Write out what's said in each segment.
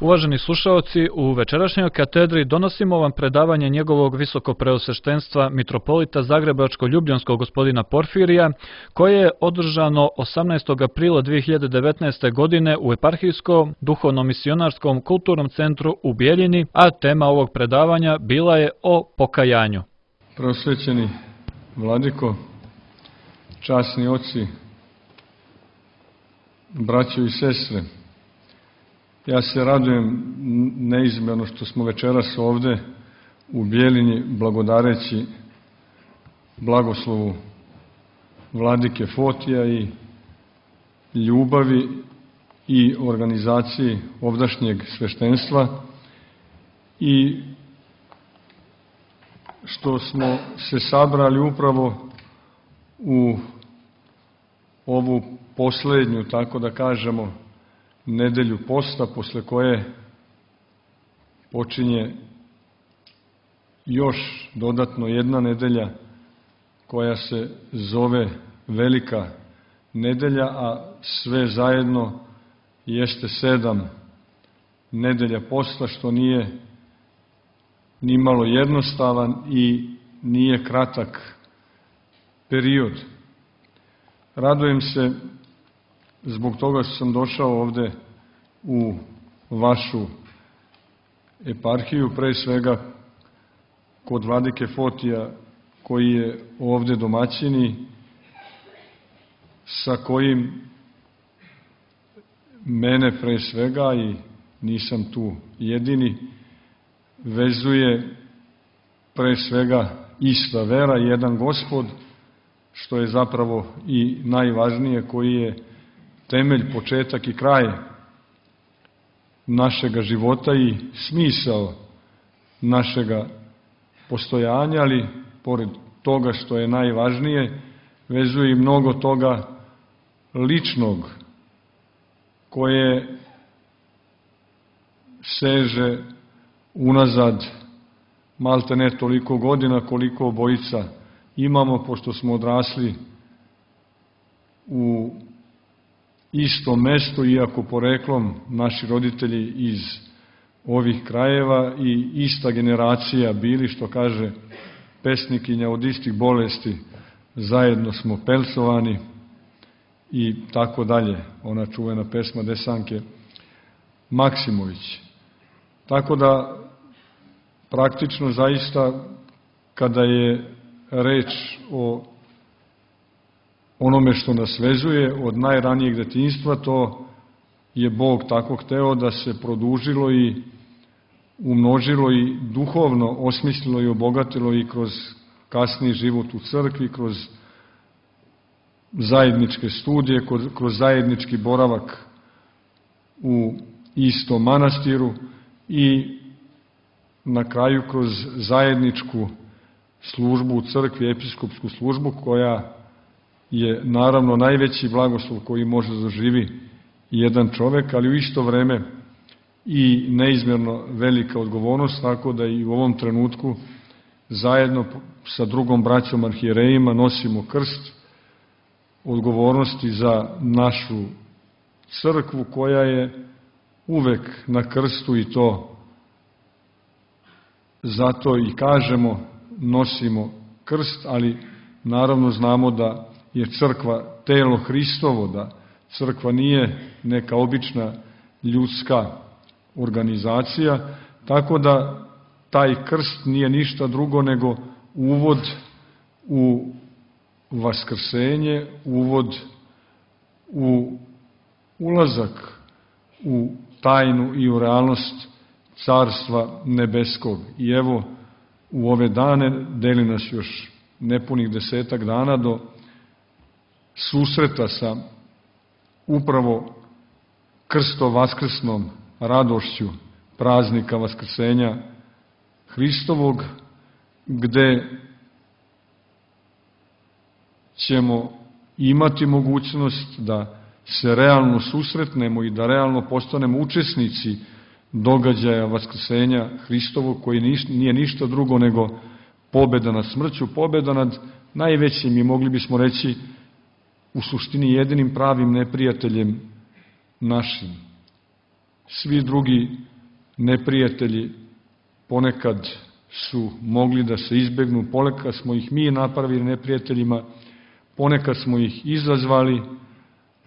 Uvaženi slušaoci, u večerašnjoj katedri donosimo vam predavanje njegovog visokopreosveštenstva mitropolita Zagrebačko-ljubljanskog gospodina Porfirija, koje je održano 18. aprila 2019. godine u Eparhijskom duhovno-misionarskom kulturnom centru u Bjeljini, a tema ovog predavanja bila je o pokajanju. Prosvećeni vladiko, časni oci, braćo i sestre, ja se radujem neizmjerno što smo večeras ovde u Bjeljini blagodareći blagoslovu vladike Fotija i ljubavi i organizaciji ovdašnjeg sveštenstva i što smo se sabrali upravo u ovu poslednju, tako da kažemo, nedelju posta, posle koje počinje još dodatno jedna nedelja koja se zove Velika nedelja, a sve zajedno jeste 7 nedelja posta, što nije ni malo jednostavan i nije kratak period. Radujem se zbog toga što sam došao ovde u vašu eparhiju, pre svega kod vladike Fotija, koji je ovde domaćini, sa kojim mene pre svega, i nisam tu jedini, vezuje pre svega ista vera, jedan Gospod, što je zapravo i najvažnije, koji je temelj, početak i kraj našega života i smisao našega postojanja, ali pored toga što je najvažnije, vezuje i mnogo toga ličnog, koje seže unazad malte ne toliko godina koliko obojica imamo, pošto smo odrasli u istom mestu, iako poreklom naši roditelji iz ovih krajeva i ista generacija bili, što kaže pesnikinja, od istih bolesti zajedno smo pelcovani i tako dalje, ona čuvena pesma Desanke Maksimović. Tako da praktično zaista kada je reč o onome što nas vezuje od najranijeg detinjstva, to je Bog tako hteo da se produžilo i umnožilo i duhovno osmislilo i obogatilo i kroz kasniji život u crkvi, kroz zajedničke studije, kroz zajednički boravak u istom manastiru i na kraju kroz zajedničku službu u crkvi, episkopsku službu, koja je naravno najveći blagoslov koji može da doživi jedan čovek, ali u isto vreme i neizmjerno velika odgovornost, tako da i u ovom trenutku zajedno sa drugom braćom arhijerejima nosimo krst odgovornosti za našu crkvu, koja je uvek na krstu, i to zato i kažemo nosimo krst, ali naravno znamo da je crkva telo Hristovo, da crkva nije neka obična ljudska organizacija, tako da taj krst nije ništa drugo nego uvod u vaskrsenje, uvod u ulazak u tajnu i u realnost Carstva nebeskog. I evo, u ove dane, deli nas još nepunih 10 dana do susreta sa upravo krsto-vaskrsnom radošću praznika Vaskrsenja Hristovog, gde ćemo imati mogućnost da se realno susretnemo i da realno postanemo učesnici događaja Vaskrsenja Hristovog, koji nije ništa drugo nego pobeda nad smrću, pobeda nad najvećim i mogli bismo reći u suštini jedinim pravim neprijateljem našim, Svi drugi neprijatelji ponekad su mogli da se izbegnu, ponekad smo ih mi napravili neprijateljima, ponekad smo ih izazvali,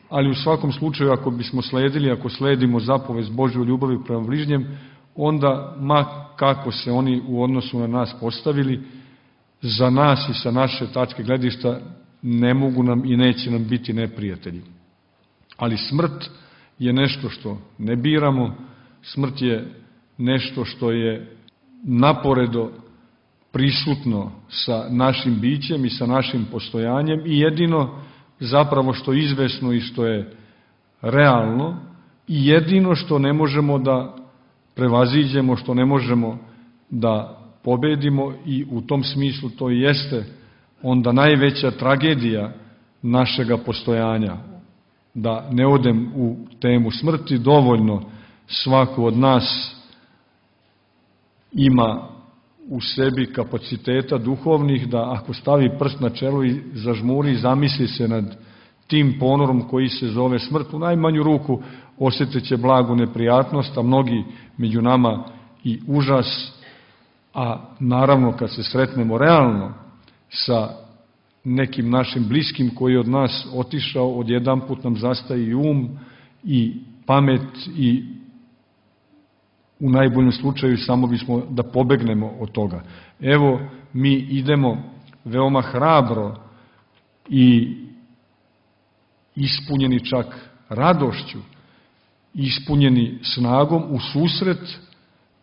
ali u svakom slučaju ako bismo sledili, ako sledimo zapovest Božju ljubavi prema bližnjem, onda ma kako se oni u odnosu na nas postavili, za nas i sa naše tačke gledišta ne mogu nam i neće nam biti neprijatelji. Ali smrt je nešto što ne biramo, smrt je nešto što je naporedo prisutno sa našim bićem i sa našim postojanjem i jedino zapravo što je izvesno i što je realno i jedino što ne možemo da prevaziđemo, što ne možemo da pobedimo i u tom smislu to jeste onda najveća tragedija našega postojanja. Da ne odem u temu smrti, dovoljno svako od nas ima u sebi kapaciteta duhovnih da ako stavi prst na čelo i zažmuri i zamisli se nad tim ponorom koji se zove smrt, u najmanju ruku osjetit će blagu neprijatnost, a mnogi među nama i užas, a naravno kad se sretnemo realno sa nekim našim bliskim koji je od nas otišao, odjedanput nam zastaje i i pamet i u najboljem slučaju samo bismo da pobegnemo od toga. Evo, mi idemo veoma hrabro i ispunjeni čak radošću, ispunjeni snagom u susret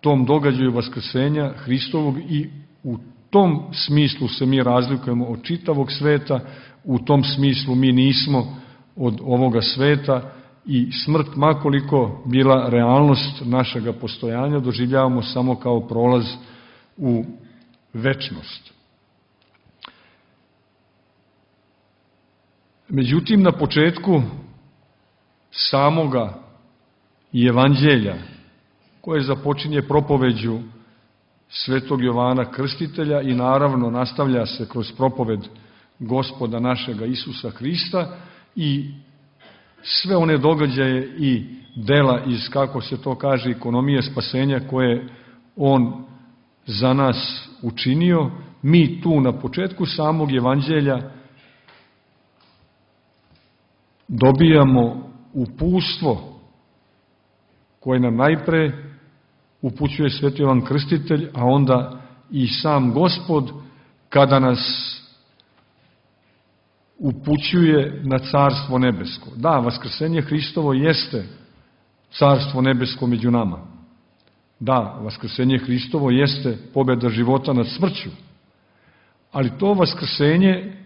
tom događaju vaskrsenja Hristovog i u tom smislu se mi razlikujemo od čitavog sveta, u tom smislu mi nismo od ovoga sveta i smrt, makoliko bila realnost našega postojanja, doživljavamo samo kao prolaz u večnost. Međutim, na početku samoga evanđelja, koje započinje propoveđu svetog Jovana Krstitelja i naravno nastavlja se kroz propoved Gospoda našega Isusa Hrista i sve one događaje i dela iz, kako se to kaže, ekonomije spasenja koje on za nas učinio, mi tu na početku samog evanđelja dobijamo uputstvo koje nam najpre upućuje sveti Jovan Krstitelj, a onda i sam Gospod kada nas upućuje na Carstvo nebesko. Da, vaskrsenje Hristovo jeste Carstvo nebesko među nama. Da, vaskrsenje Hristovo jeste pobjeda života nad smrću. Ali to vaskrsenje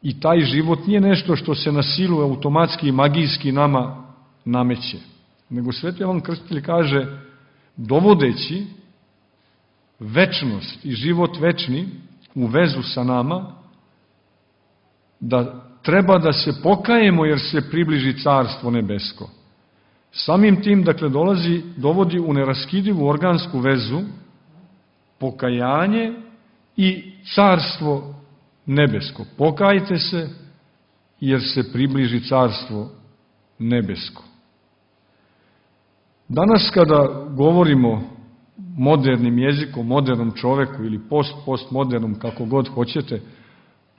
i taj život nije nešto što se na silu automatski i magijski nama nameće. Nego sveti Jovan Krstitelj kaže, dovodeći večnost i život večni u vezu sa nama, da treba da se pokajemo jer se približi Carstvo nebesko. Samim tim, dakle, dovodi u neraskidivu organsku vezu pokajanje i Carstvo nebesko. Pokajte se jer se približi Carstvo nebesko. Danas kada govorimo modernim jezikom, modernom čoveku ili postmodernom, kako god hoćete,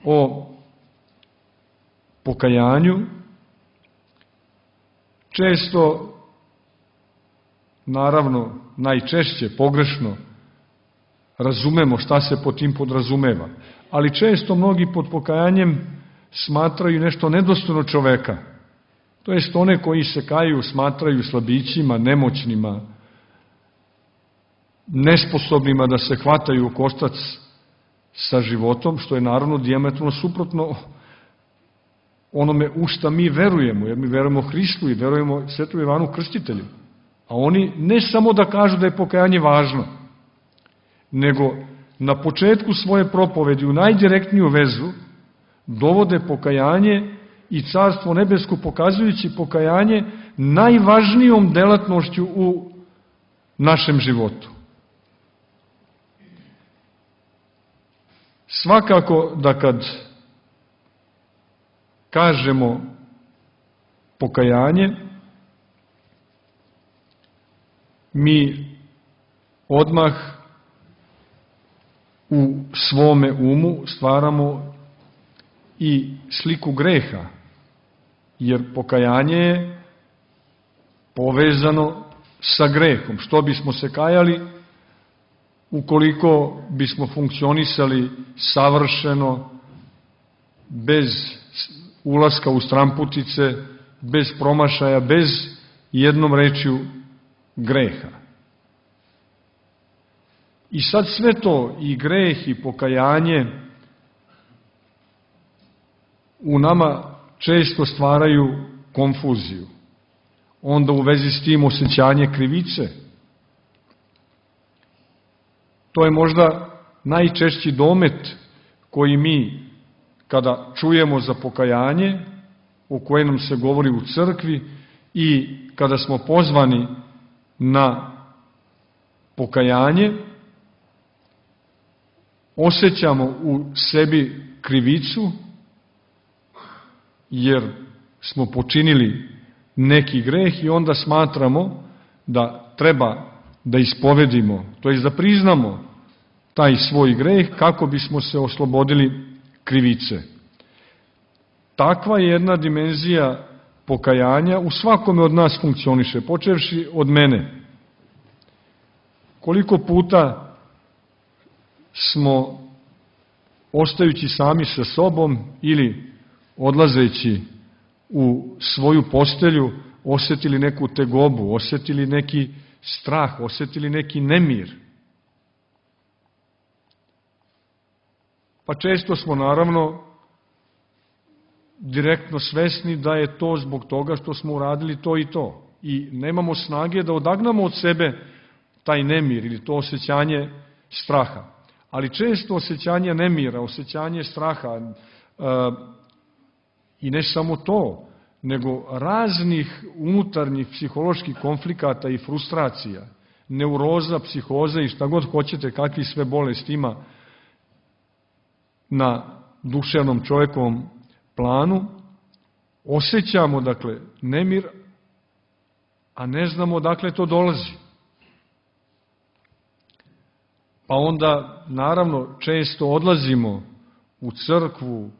o pokajanju, često, naravno, najčešće pogrešno razumemo šta se pod tim podrazumeva, ali često mnogi pod pokajanjem smatraju nešto nedostojno čoveka. To jest one koji se kaju smatraju slabićima, nemoćnima, nesposobnima da se hvataju u koštac sa životom, što je naravno dijametralno suprotno onome u šta mi verujemo, jer mi verujemo Hristu i verujemo svetom Jovanu Krstitelju. A oni ne samo da kažu da je pokajanje važno, nego na početku svoje propovedi u najdirektniju vezu dovode pokajanje i Carstvo nebesko, pokazujući pokajanje najvažnijom delatnošću u našem životu. Svakako da kad kažemo pokajanje, mi odmah u svome umu stvaramo i sliku greha, jer pokajanje je povezano sa grehom. Što bismo se kajali ukoliko bismo funkcionisali savršeno, bez ulaska u stramputice, bez promašaja, bez jednom rečju greha. I sad sve to, i greh i pokajanje, u nama često stvaraju konfuziju. Onda u vezi s tim osjećanje krivice. To je možda najčešći domet koji mi, kada čujemo za pokajanje, o kojem nam se govori u crkvi, i kada smo pozvani na pokajanje, osjećamo u sebi krivicu, jer smo počinili neki greh i onda smatramo da treba da ispovedimo, to jest da priznamo taj svoj greh kako bismo se oslobodili krivice. Takva jedna dimenzija pokajanja u svakome od nas funkcioniše, počevši od mene. Koliko puta smo, ostajući sami sa sobom ili odlazeći u svoju postelju, osjetili neku tegobu, osjetili neki strah, osjetili neki nemir. Pa često smo naravno direktno svesni da je to zbog toga što smo uradili to i to. I nemamo snage da odagnamo od sebe taj nemir ili to osjećanje straha. Ali često osjećanje nemira, osjećanje straha, i ne samo to, nego raznih unutarnjih psiholoških konflikata i frustracija, neuroza, psihoza i šta god hoćete, kakvi sve bolesti ima na duševnom čovjekovom planu, osjećamo, dakle, nemir, a ne znamo odakle to dolazi. Pa onda, naravno, često odlazimo u crkvu,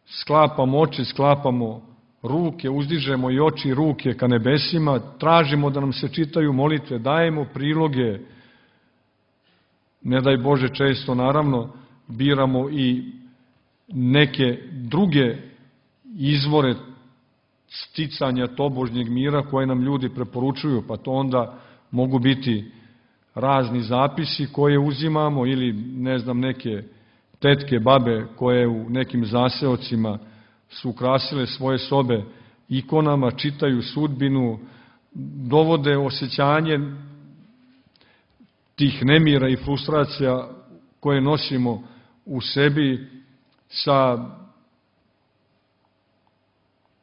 sklapamo oči, sklapamo ruke, uzdižemo i oči i ruke ka nebesima, tražimo da nam se čitaju molitve, dajemo priloge, ne daj Bože često, naravno, biramo i neke druge izvore sticanja tobožnjeg mira koje nam ljudi preporučuju, pa to onda mogu biti razni zapisi koje uzimamo ili, ne znam, neke tetke, babe koje u nekim zaseocima su ukrasile svoje sobe ikonama, čitaju sudbinu, dovode osjećanje tih nemira i frustracija koje nosimo u sebi sa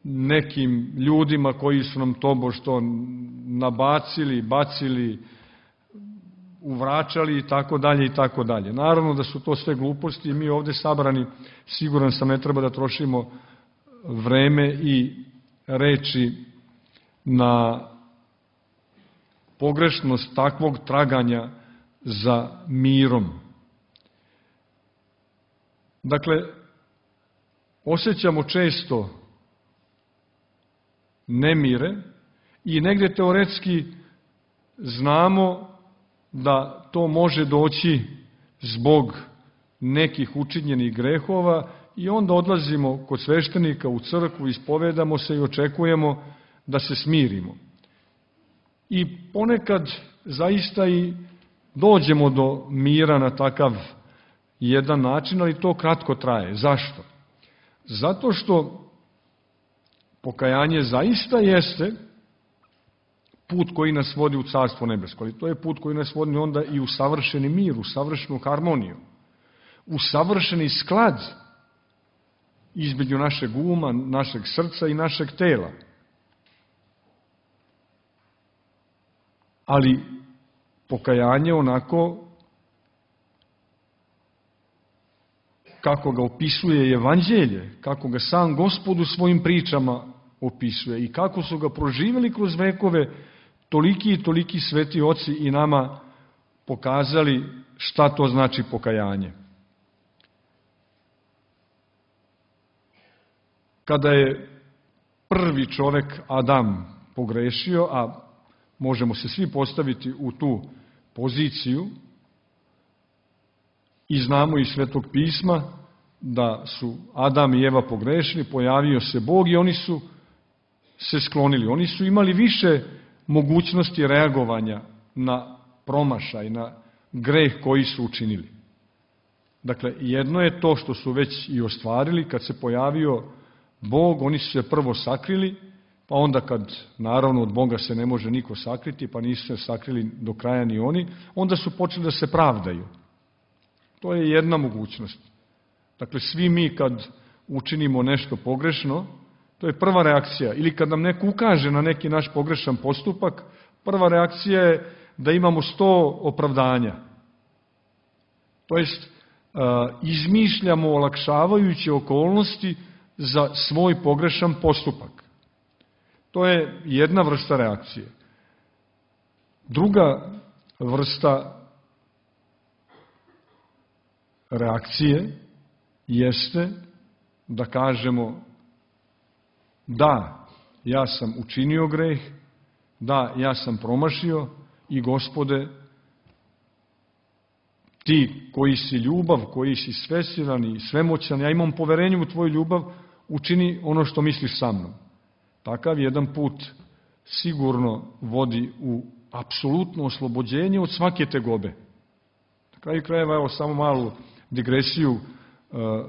nekim ljudima koji su nam tobože nabacili, bacili, uvračali i tako dalje i tako dalje. Naravno da su to sve gluposti i mi ovde sabrani, siguran sam, ne treba da trošimo vreme i reči na pogrešnost takvog traganja za mirom. Dakle, osjećamo često nemire i negde teoretski znamo da to može doći zbog nekih učinjenih grehova i onda odlazimo kod sveštenika u crkvu, ispovedamo se i očekujemo da se smirimo. I ponekad zaista i dođemo do mira na takav jedan način, ali to kratko traje. Zašto? Zato što pokajanje zaista jeste put koji nas vodi u Carstvo nebesko, ali to je put koji nas vodi onda i u savršeni mir, u savršenu harmoniju, u savršeni sklad između našeg uma, našeg srca i našeg tela. Ali pokajanje onako kako ga opisuje Evanđelje, kako ga sam Gospod u svojim pričama opisuje i kako su ga proživjeli kroz vekove, toliki i toliki sveti oci i nama pokazali šta to znači pokajanje. Kada je prvi čovek Adam pogrešio, a možemo se svi postaviti u tu poziciju i znamo iz Svetog pisma da su Adam i Eva pogrešili, pojavio se Bog i oni su se sklonili. Oni su imali više mogućnosti reagovanja na promašaj, na greh koji su učinili. Dakle, jedno je to što su već i ostvarili, kad se pojavio Bog, oni su se prvo sakrili, pa onda kad, naravno, od Boga se ne može niko sakriti, pa nisu se sakrili do kraja ni oni, onda su počeli da se pravdaju. To je jedna mogućnost. Dakle, svi mi kad učinimo nešto pogrešno, to je prva reakcija. Ili kad nam neko ukaže na neki naš pogrešan postupak, prva reakcija je da imamo 100 opravdanja. To jest, izmišljamo olakšavajuće okolnosti za svoj pogrešan postupak. To je jedna vrsta reakcije. Druga vrsta reakcije jeste da kažemo da, ja sam učinio greh, da, ja sam promašio i Gospode, ti koji si ljubav, koji si svesilan i svemoćan, ja imam poverenje u tvoju ljubav, učini ono što misliš sa mnom. Takav jedan put sigurno vodi u apsolutno oslobođenje od svake tegobe. Na kraju krajeva, evo samo malu digresiju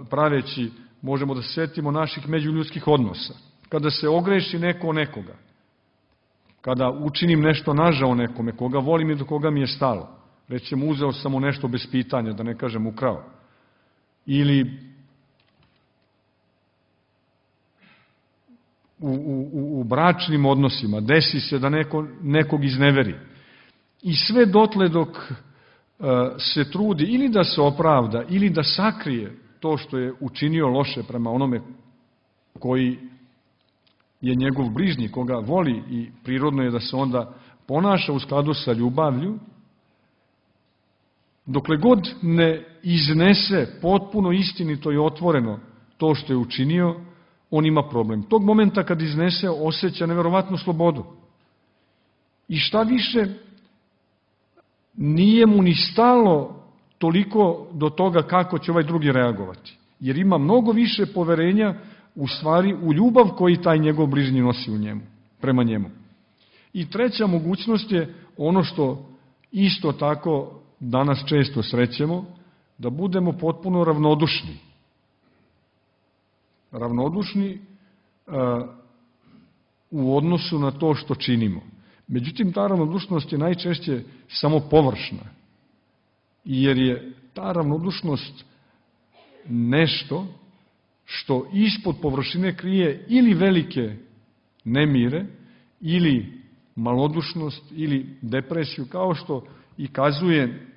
praveći, možemo da se setimo naših međuljudskih odnosa. Kada se ogreši neko o nekoga, kada učinim nešto nažao nekome, koga volim i do koga mi je stalo, recimo uzeo sam mu nešto bez pitanja, da ne kažem ukrao, ili u bračnim odnosima desi se da nekog izneveri. I sve dotle dok se trudi ili da se opravda, ili da sakrije to što je učinio loše prema onome koji je njegov bližnji, koga voli i prirodno je da se onda ponaša u skladu sa ljubavlju, dokle god ne iznese potpuno istinito i otvoreno to što je učinio, on ima problem. Tog momenta kad iznese, osjeća neverovatnu slobodu. I šta više, nije mu ni stalo toliko do toga kako će ovaj drugi reagovati. Jer ima mnogo više poverenja u stvari u ljubav koji taj njegov bližnji nosi u njemu, prema njemu. I treća mogućnost je ono što isto tako danas često srećemo, da budemo potpuno ravnodušni. Ravnodušni u odnosu na to što činimo. Međutim, ta ravnodušnost je najčešće samo površna, jer je ta ravnodušnost nešto što ispod površine krije ili velike nemire, ili malodušnost, ili depresiju, kao što i kazuje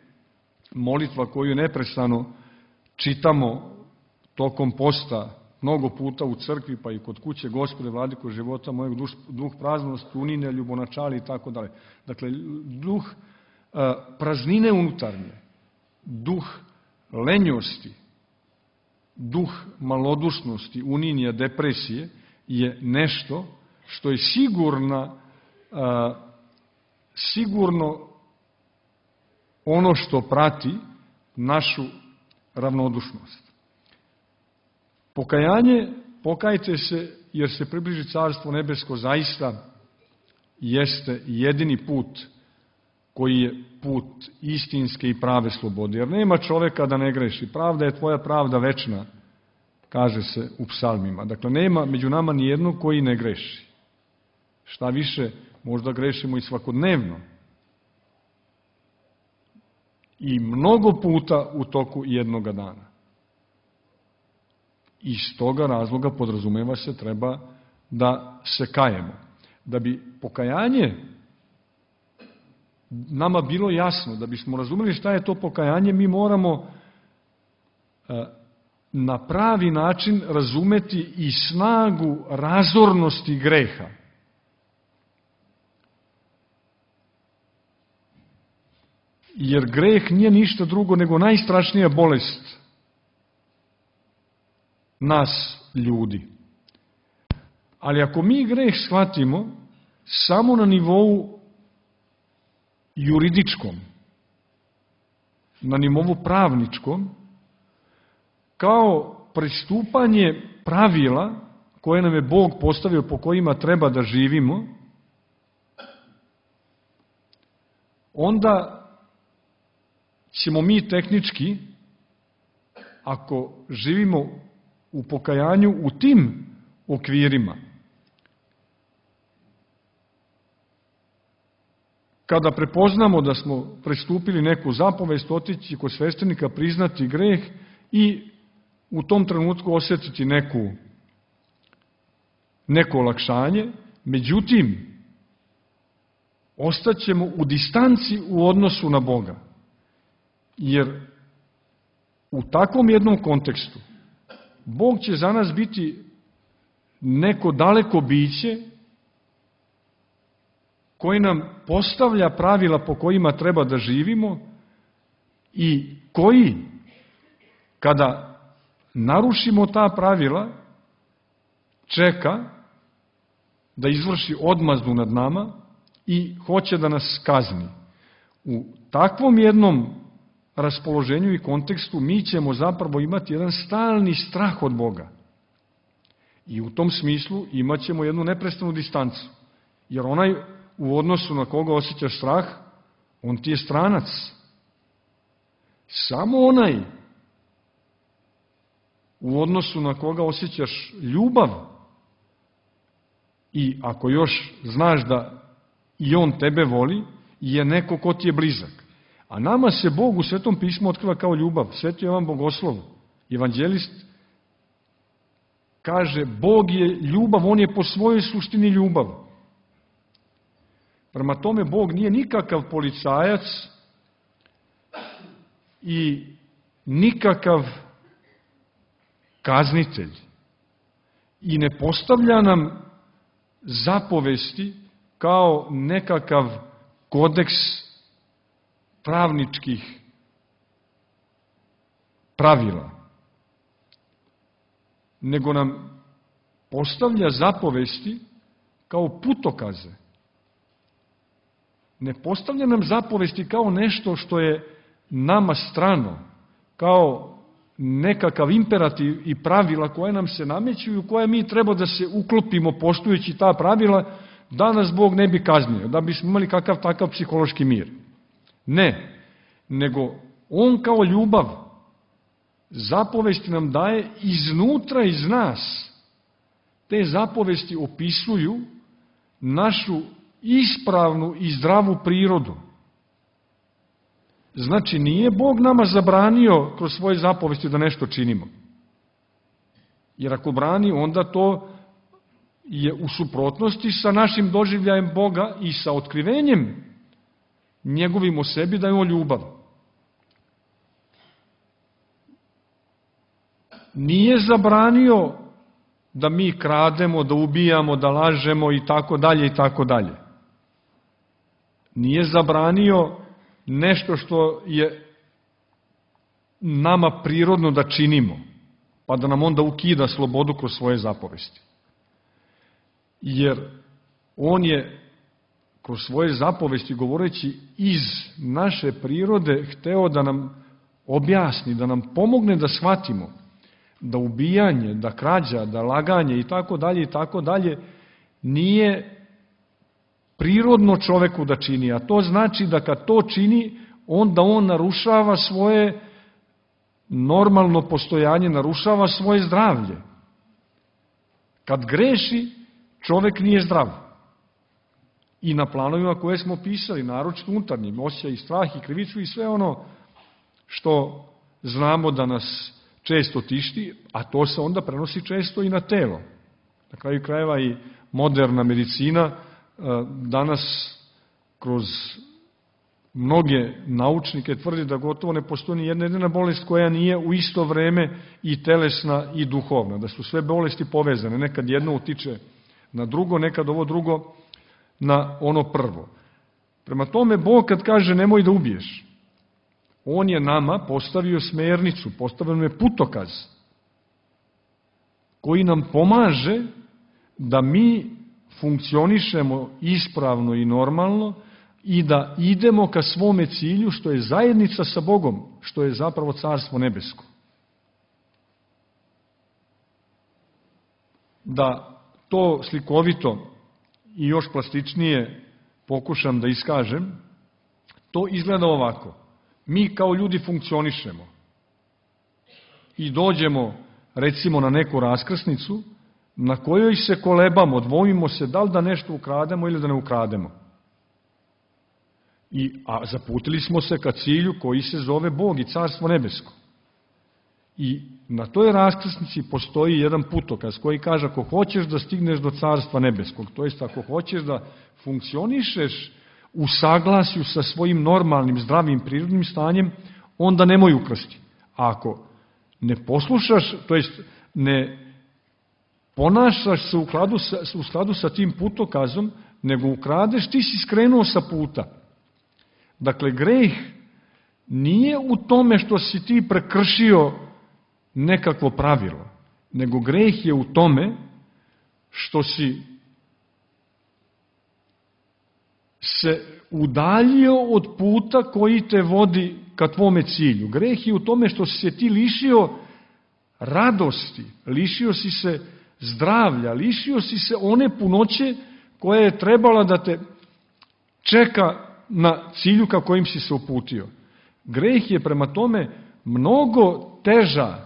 molitva koju neprestano čitamo tokom posta, mnogo puta u crkvi, pa i kod kuće: Gospode, vladiko života mojeg, duh praznosti, unine, ljubonačali i tako dalje. Dakle, duh praznine unutarnje, duh lenjosti, duh malodušnosti, uninja, depresije je nešto što je sigurno ono što prati našu ravnodušnost. Pokajanje, pokajte se jer se približi Carstvo nebesko, zaista jeste jedini put koji je put istinske i prave slobode. Jer nema čoveka da ne greši. Pravda je tvoja pravda večna, kaže se u psalmima. Dakle, nema među nama ni jednog koji ne greši. Šta više, možda grešimo i svakodnevno. I mnogo puta u toku jednoga dana. Iz toga razloga, podrazumeva se, treba da se kajemo. Da bi pokajanje nama bilo jasno, da bismo razumeli šta je to pokajanje, mi moramo na pravi način razumeti i snagu razornosti greha. jer greh nije ništa drugo nego najstrašnija bolest nas ljudi. Ali ako mi greh shvatimo samo na nivou juridičkom, na nivou pravničkom, kao prestupanje pravila koje nam je Bog postavio po kojima treba da živimo, onda ćemo mi tehnički, ako živimo u pokajanju u tim okvirima, kada prepoznamo da smo prestupili neku zapovest, otići kod sveštenika, priznati greh i u tom trenutku osjetiti neko olakšanje, međutim, ostaćemo u distanci u odnosu na Boga. Jer u takvom jednom kontekstu Bog će za nas biti neko daleko biće koji nam postavlja pravila po kojima treba da živimo i koji, kada narušimo ta pravila, čeka da izvrši odmazdu nad nama i hoće da nas kazni. U takvom jednom raspoloženju i kontekstu mi ćemo zapravo imati jedan stalni strah od Boga. I u tom smislu imat ćemo jednu neprestanu distancu. Jer onaj u odnosu na koga osjećaš strah, on ti je stranac. Samo onaj u odnosu na koga osjećaš ljubav i ako još znaš da i on tebe voli, je neko ko ti je blizak. A nama se Bog u Svetom pismu otkriva kao ljubav. Sveti Jovan Bogoslov, evanđelist, kaže Bog je ljubav, on je po svojoj suštini ljubav. Prema tome, Bog nije nikakav policajac i nikakav kaznitelj i ne postavlja nam zapovesti kao nekakav kodeks pravničkih pravila, nego nam postavlja zapovesti kao putokaze. Ne postavlja nam zapovesti kao nešto što je nama strano, kao nekakav imperativ i pravila koje nam se nameću i u koje mi treba da se uklopimo poštujući ta pravila, da nas Bog ne bi kaznio, da bismo imali kakav takav psihološki mir. Ne, nego on kao ljubav zapovesti nam daje iznutra iz nas. Te zapovesti opisuju našu ispravnu i zdravu prirodu. Znači, nije Bog nama zabranio kroz svoje zapovesti da nešto činimo. Jer ako brani, onda to je u suprotnosti sa našim doživljajem Boga i sa otkrivenjem njegovim o sebi da je on ljubav. Nije zabranio da mi krademo, da ubijamo, da lažemo i tako dalje i tako dalje. Nije zabranio nešto što je nama prirodno da činimo, pa da nam onda ukida slobodu kroz svoje zapovesti. Jer on je kroz svoje zapovesti, govoreći iz naše prirode, hteo da nam objasni, da nam pomogne da shvatimo da ubijanje, da krađa, da laganje i tako dalje nije prirodno čoveku da čini, a to znači da kad to čini, onda on narušava svoje normalno postojanje, narušava svoje zdravlje. Kad greši, čovek nije zdrav. I na planovima koje smo pisali, naročito unutarnjim, osjeća i strah i krivicu i sve ono što znamo da nas često tišti, a to se onda prenosi često i na telo. Na kraju krajeva i moderna medicina danas kroz mnoge naučnike tvrdi da gotovo ne postoji ni jedna jedina bolest koja nije u isto vreme i telesna i duhovna, da su sve bolesti povezane, nekad jedno utiče na drugo, nekad ovo drugo na ono prvo. Prema tome, Bog kad kaže nemoj da ubiješ, On je nama postavio smernicu, postavio nam je putokaz koji nam pomaže da mi funkcionišemo ispravno i normalno i da idemo ka svome cilju, što je zajednica sa Bogom, što je zapravo Carstvo nebesko. Da to slikovito i još plastičnije pokušam da iskažem, to izgleda ovako. Mi kao ljudi funkcionišemo i dođemo, recimo, na neku raskrsnicu na kojoj se kolebamo, dvojimo se da li da nešto ukrademo ili da ne ukrademo. A zaputili smo se ka cilju koji se zove Bog i Carstvo nebesko. I na toj raskrsnici postoji jedan putokaz koji kaže ako hoćeš da stigneš do Carstva nebeskog, to jest ako hoćeš da funkcionišeš u saglasju sa svojim normalnim, zdravim, prirodnim stanjem, onda nemoj ukrasti. A ako ne poslušaš, to jest ne ponašaš se u skladu sa tim putokazom, nego ukradeš, ti si skrenuo sa puta. Dakle, greh nije u tome što si ti prekršio nekakvo pravilo, nego greh je u tome što si se udaljio od puta koji te vodi ka tvome cilju. Greh je u tome što si se ti lišio radosti, lišio si se zdravlja, lišio si se one punoće koja je trebala da te čeka na cilju ka kojim si se uputio. Greh je prema tome mnogo teža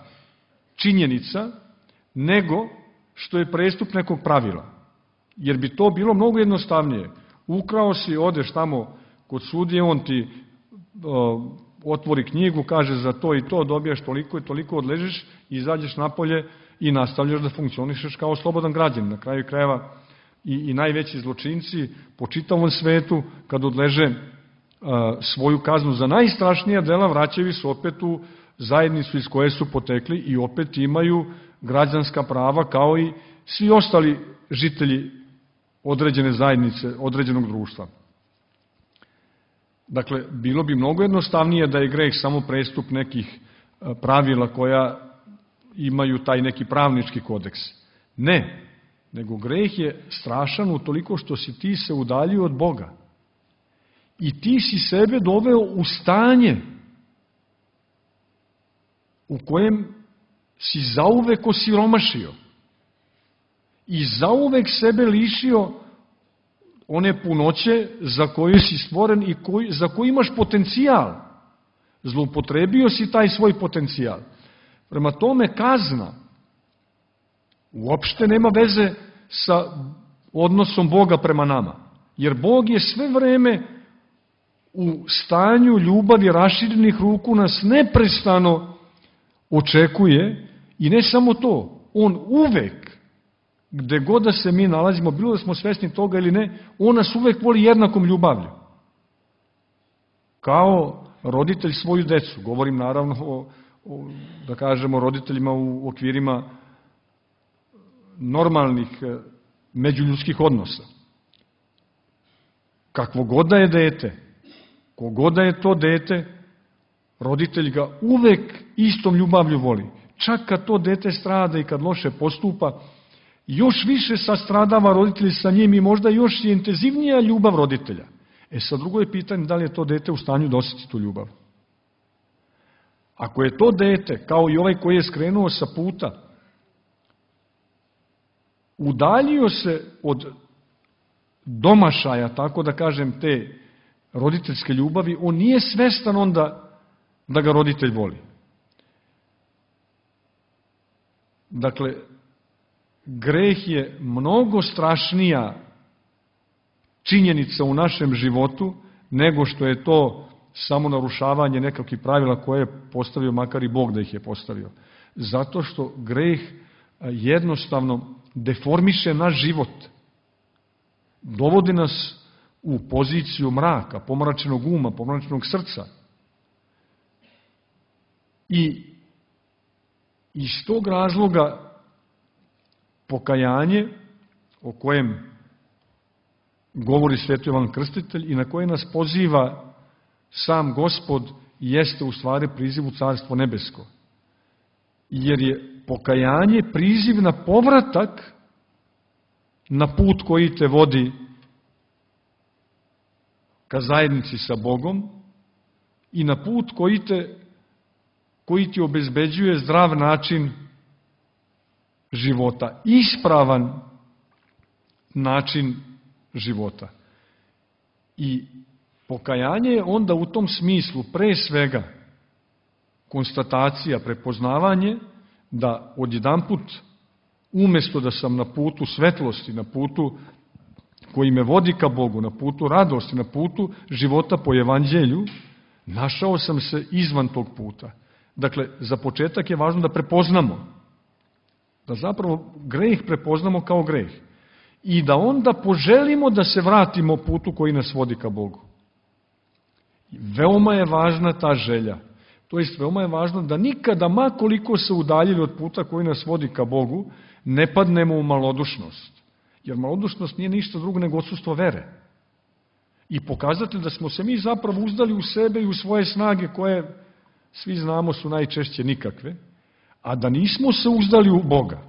činjenica nego što je prestup nekog pravila. Jer bi to bilo mnogo jednostavnije. Ukrao si, odeš tamo kod sudije, on ti otvori knjigu, kaže za to i to, dobijaš toliko i toliko, odležiš, izađeš napolje i nastavljaš da funkcionišeš kao slobodan građanin. Na kraju krajeva i najveći zločinci po čitavom svetu, kad odleže svoju kaznu za najstrašnija dela, vraćaju se opet u zajednicu iz koje su potekli i opet imaju građanska prava kao i svi ostali žitelji određene zajednice, određenog društva. Dakle, bilo bi mnogo jednostavnije da je greh samo prestup nekih pravila koja imaju taj neki pravnički kodeks. Ne, nego greh je strašan utoliko što si ti se udaljio od Boga. I ti si sebe doveo u stanje u kojem si zauvek osiromašio i zauvek sebe lišio one punoće za koju si stvoren i za koju imaš potencijal. Zloupotrebio si taj svoj potencijal. Prema tome, kazna uopšte nema veze sa odnosom Boga prema nama. Jer Bog je sve vreme u stanju ljubavi raširenih ruku nas neprestano očekuje i ne samo to, on uvek, gde god da se mi nalazimo, bilo da smo svesni toga ili ne, on nas uvek voli jednakom ljubavlju. Kao roditelj svoju decu, govorim naravno da kažemo roditeljima u okvirima normalnih međuljudskih odnosa. Kakvo god da je dete, kogod da je to dete, roditelj ga uvek istom ljubavlju voli. Čak kad to dete strada i kad loše postupa, još više sastradava roditelj sa njim i možda još je intenzivnija ljubav roditelja. Sad drugo je pitanje da li je to dete u stanju da osjeti tu ljubav. Ako je to dete, kao i ovaj koji je skrenuo sa puta, udaljio se od domašaja, tako da kažem, te roditeljske ljubavi, on nije svestan onda da ga roditelj voli. Dakle, greh je mnogo strašnija činjenica u našem životu nego što je to samo narušavanje nekakvih pravila koje je postavio, makar i Bog da ih je postavio. Zato što greh jednostavno deformiše naš život. Dovodi nas u poziciju mraka, pomračenog uma, pomračenog srca. I iz tog razloga pokajanje o kojem govori Sveti Jovan Krstitelj i na koje nas poziva sam Gospod jeste u stvari priziv u Carstvo nebesko. Jer je pokajanje priziv na povratak na put koji te vodi ka zajednici sa Bogom i na put koji ti obezbeđuje zdrav način života, ispravan način života. I pokajanje je onda u tom smislu pre svega konstatacija, prepoznavanje da odjedanput umesto da sam na putu svetlosti, na putu koji me vodi ka Bogu, na putu radosti, na putu života po evanđelju, našao sam se izvan tog puta. Dakle, za početak je važno da prepoznamo, da zapravo greh prepoznamo kao greh i da onda poželimo da se vratimo putu koji nas vodi ka Bogu. Veoma je važna ta želja. To jest, veoma je važno da nikada, ma koliko se udaljili od puta koji nas vodi ka Bogu, ne padnemo u malodušnost. Jer malodušnost nije ništa drugo nego odsustvo vere. I pokazatelj da smo se mi zapravo uzdali u sebe i u svoje snage koje, svi znamo, su najčešće nikakve, a da nismo se uzdali u Boga.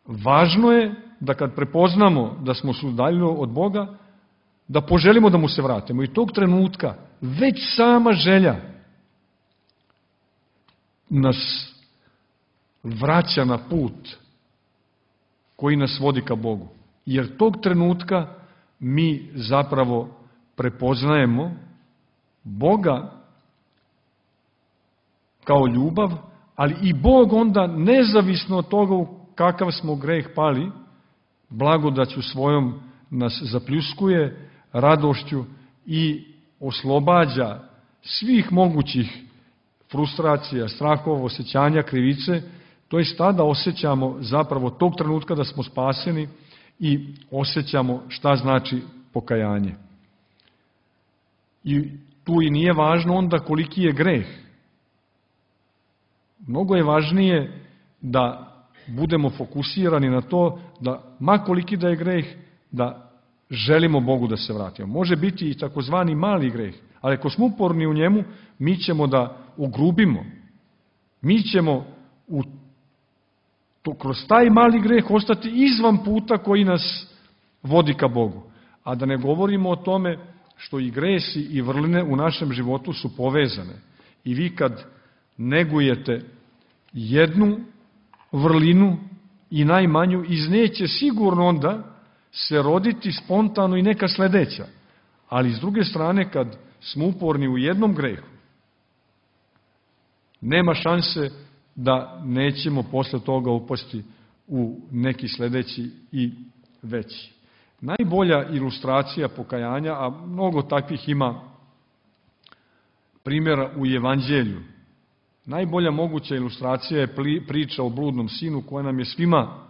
Važno je da kad prepoznamo da smo se udaljili od Boga, da poželimo da mu se vratimo. I tog trenutka već sama želja nas vraća na put koji nas vodi ka Bogu. Jer tog trenutka mi zapravo prepoznajemo Boga kao ljubav, ali i Bog onda, nezavisno od toga u kakav smo greh pali, blagodaću svojom nas zapljuskuje, radošću i oslobađa svih mogućih frustracija, strahova, osjećanja, krivice, to je tada osjećamo zapravo tog trenutka da smo spaseni i osjećamo šta znači pokajanje. I tu i nije važno onda koliki je greh. Mnogo je važnije da budemo fokusirani na to da, ma koliki da je greh, da želimo Bogu da se vratimo. Može biti i takozvani mali greh, ali ako smo uporni u njemu, mi ćemo da ugrubimo. Mi ćemo kroz taj mali greh ostati izvan puta koji nas vodi ka Bogu. A da ne govorimo o tome što i gresi i vrline u našem životu su povezane. I vi kad negujete jednu vrlinu i najmanju, iz nje će sigurno onda se roditi spontano i neka sledeća. Ali s druge strane, kad smo uporni u jednom grehu, nema šanse da nećemo posle toga upasti u neki sledeći i veći. Najbolja ilustracija pokajanja, a mnogo takvih ima primjera u evanđelju, najbolja moguća ilustracija je priča o bludnom sinu koja nam je svima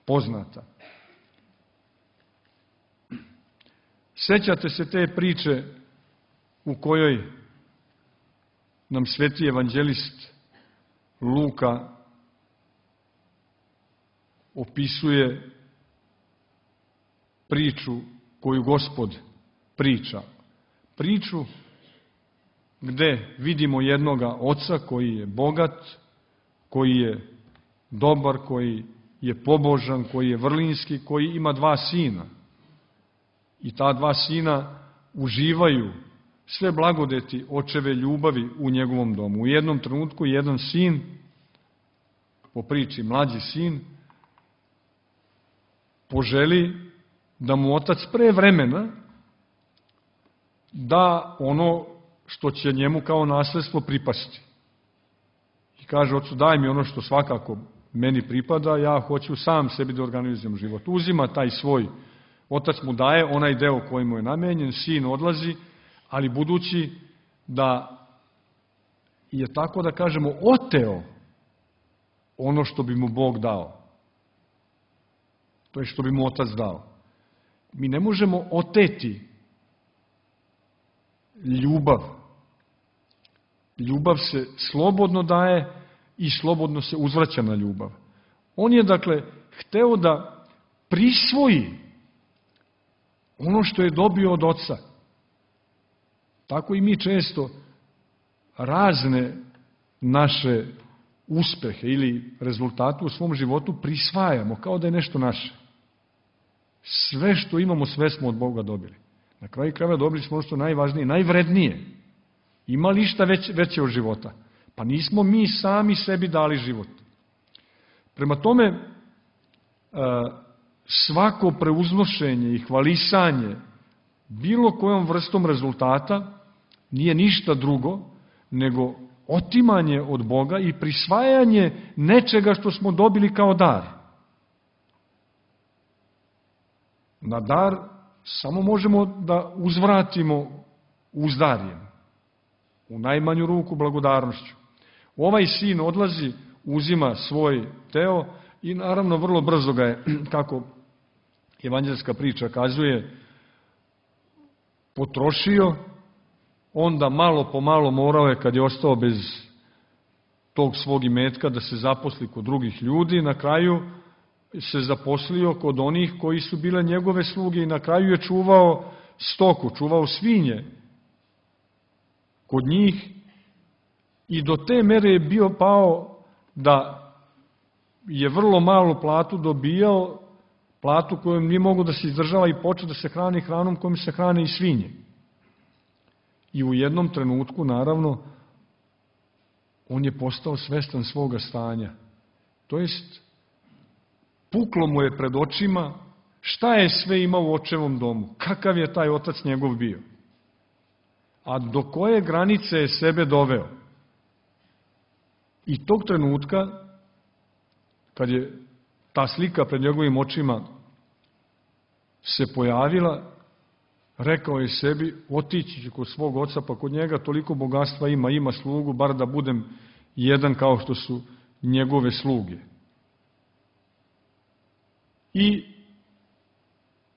poznata. Sećate se te priče u kojoj nam sveti evanđelist Luka opisuje priču koju Gospod priča. Priču gde vidimo jednoga oca koji je bogat, koji je dobar, koji je pobožan, koji je vrlinski, koji ima 2 sina. I ta 2 sina uživaju sve blagodeti očeve ljubavi u njegovom domu. U jednom trenutku jedan sin, po priči mlađi sin, poželi da mu otac pre vremena da ono što će njemu kao nasledstvo pripasti. I kaže ocu, daj mi ono što svakako meni pripada, ja hoću sam sebi da organizujem život. Uzima taj svoj, otac mu daje onaj deo koji mu je namenjen, sin odlazi, ali budući da je tako da kažemo oteo ono što bi mu Bog dao, to je što bi mu otac dao. Mi ne možemo oteti ljubav. Ljubav se slobodno daje i slobodno se uzvraća na ljubav. On je, dakle, hteo da prisvoji ono što je dobio od oca. tako i mi često razne naše uspehe ili rezultate u svom životu prisvajamo kao da je nešto naše. Sve što imamo, sve smo od Boga dobili. Na kraju krajeva dobili smo ono što je najvažnije, najvrednije. Ima li išta veće od života? Pa nismo mi sami sebi dali život. Prema tome, svako preuznošenje i hvalisanje bilo kojom vrstom rezultata nije ništa drugo nego otimanje od Boga i prisvajanje nečega što smo dobili kao dar. Na dar samo možemo da uzvratimo uzdarjem, u najmanju ruku blagodarnošću. Ovaj sin odlazi, uzima svoj teo i naravno vrlo brzo ga je, kako evanđelska priča kazuje, potrošio, onda malo po malo morao je, kad je ostao bez tog svog imetka, da se zaposli kod drugih ljudi, na kraju se zaposlio kod onih koji su bile njegove sluge i na kraju je čuvao stoku, čuvao svinje kod njih i do te mere je bio pao da je vrlo malu platu dobijao, platu kojom nije mogo da se izdržava i počeo da se hrani hranom kojom se hrane i svinje. I u jednom trenutku, naravno, on je postao svestan svoga stanja. To jest, puklo mu je pred očima šta je sve imao u očevom domu, kakav je taj otac njegov bio, a do koje granice je sebe doveo. I tog trenutka, kad je ta slika pred njegovim očima se pojavila, rekao je sebi, otići ću kod svog oca, pa kod njega toliko bogatstva ima slugu, bar da budem jedan kao što su njegove sluge. I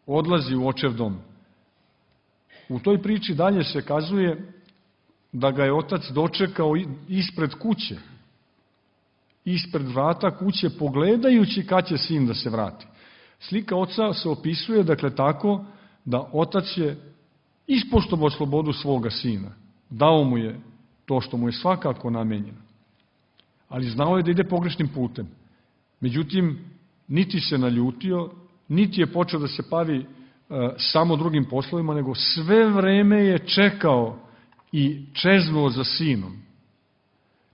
odlazi u očev dom. U toj priči dalje se kazuje da ga je otac dočekao ispred kuće, ispred vrata kuće, pogledajući kad će sin da se vrati. Slika oca se opisuje, dakle, tako da otac je ispoštovao slobodu svoga sina. Dao mu je to što mu je svakako namenjeno. Ali znao je da ide pogrešnim putem. Međutim, niti se naljutio, niti je počeo da se bavi samo drugim poslovima, nego sve vreme je čekao i čeznuo za sinom.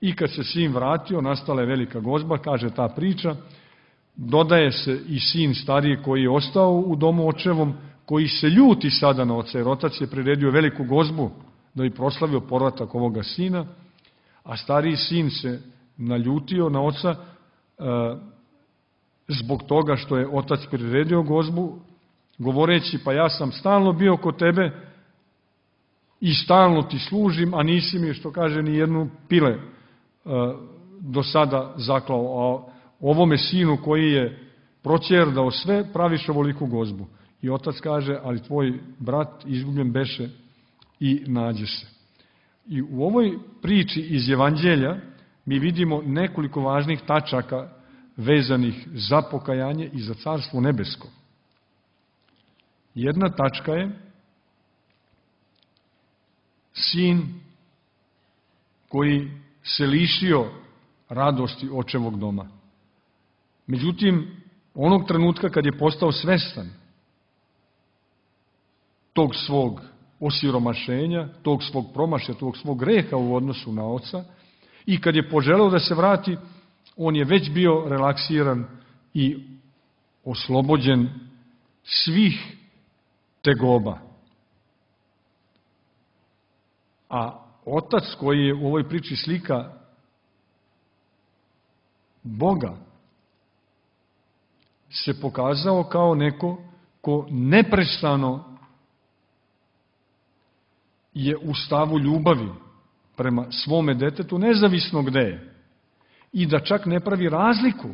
I kad se sin vratio, nastala je velika gozba, kaže ta priča, dodaje se i sin stariji koji je ostao u domu očevom, koji se ljuti sada na oca, jer otac je priredio veliku gozbu da bi proslavio povratak ovoga sina, a stariji sin se naljutio na oca zbog toga što je otac priredio gozbu, govoreći, pa ja sam stalno bio kod tebe i stalno ti služim, a nisi mi, što kaže, ni jednu pile do sada zaklao, a ovome sinu koji je proćerdao sve, praviš ovoliku gozbu. I otac kaže, ali tvoj brat izgubljen beše i nađe se. I u ovoj priči iz Evanđelja mi vidimo nekoliko važnih tačaka vezanih za pokajanje i za Carstvo nebesko. Jedna tačka je sin koji se lišio radosti očevog doma. Međutim, onog trenutka kad je postao svestan tog svog osiromašenja, tog svog promašaja, tog svog greha u odnosu na oca, i kad je poželeo da se vrati, on je već bio relaksiran i oslobođen svih tegoba. A otac koji je u ovoj priči slika Boga se pokazao kao neko ko neprestano je u stavu ljubavi prema svome detetu, nezavisno gde je. I da čak ne pravi razliku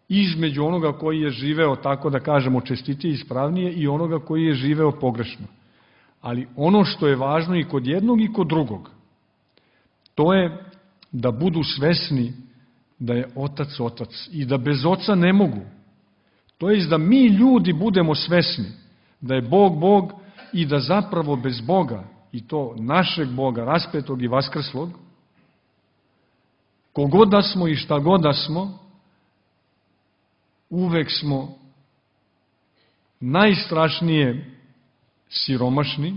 između onoga koji je živeo, tako da kažemo, čestitije i ispravnije i onoga koji je živeo pogrešno. Ali ono što je važno i kod jednog i kod drugog, to je da budu svesni da je otac otac i da bez oca ne mogu. To je da mi ljudi budemo svesni da je Bog Bog i da zapravo bez Boga, i to našeg Boga, raspetog i vaskrslog, kogod da smo i šta god da smo, uvek smo najstrašnije siromašni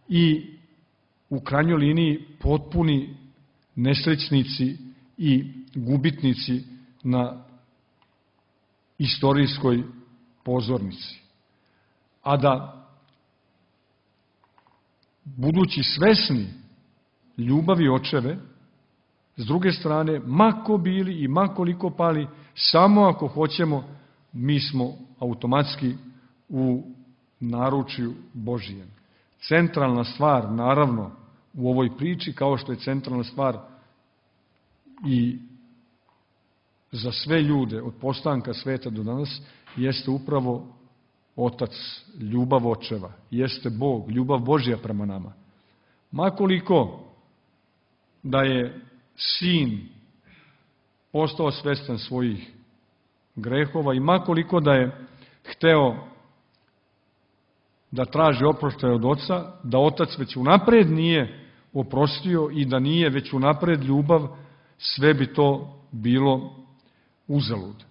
i u krajnjoj liniji potpuni nesrećnici i gubitnici na istorijskoj pozornici. A da, budući svesni ljubavi očeve, s druge strane, ma ko bili i ma koliko pali, samo ako hoćemo, mi smo automatski u naručju Božijem. Centralna stvar, naravno, u ovoj priči, kao što je centralna stvar i za sve ljude od postanka sveta do danas, jeste upravo Otac, ljubav očeva, jeste Bog, ljubav Božja prema nama. Makoliko da je Sin postao svestan svojih grehova i makoliko da je hteo da traži oproštaj od Oca, da Otac već unapred nije oprostio i da nije već unapred ljubav, sve bi to bilo uzalud.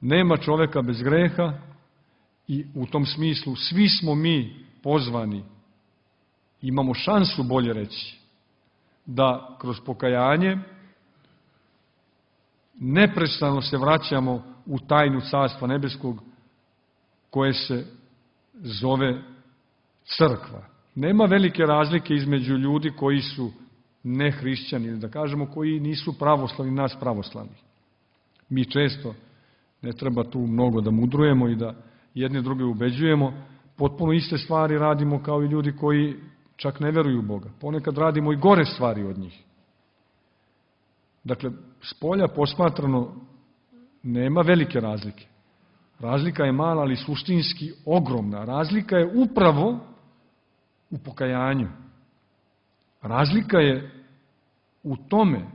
Nema čoveka bez greha i u tom smislu svi smo mi pozvani, imamo šansu, bolje reći, da kroz pokajanje neprestano se vraćamo u tajnu Carstva nebeskog koje se zove crkva. Nema velike razlike između ljudi koji su nehrišćani, da kažemo koji nisu pravoslavni, nas pravoslavni. Mi često, ne treba tu mnogo da mudrujemo i da jedne druge ubeđujemo, potpuno iste stvari radimo kao i ljudi koji čak ne veruju u Boga. Ponekad radimo i gore stvari od njih. Dakle, spolja posmatrano nema velike razlike. Razlika je mala, ali suštinski ogromna. Razlika je upravo u pokajanju. Razlika je u tome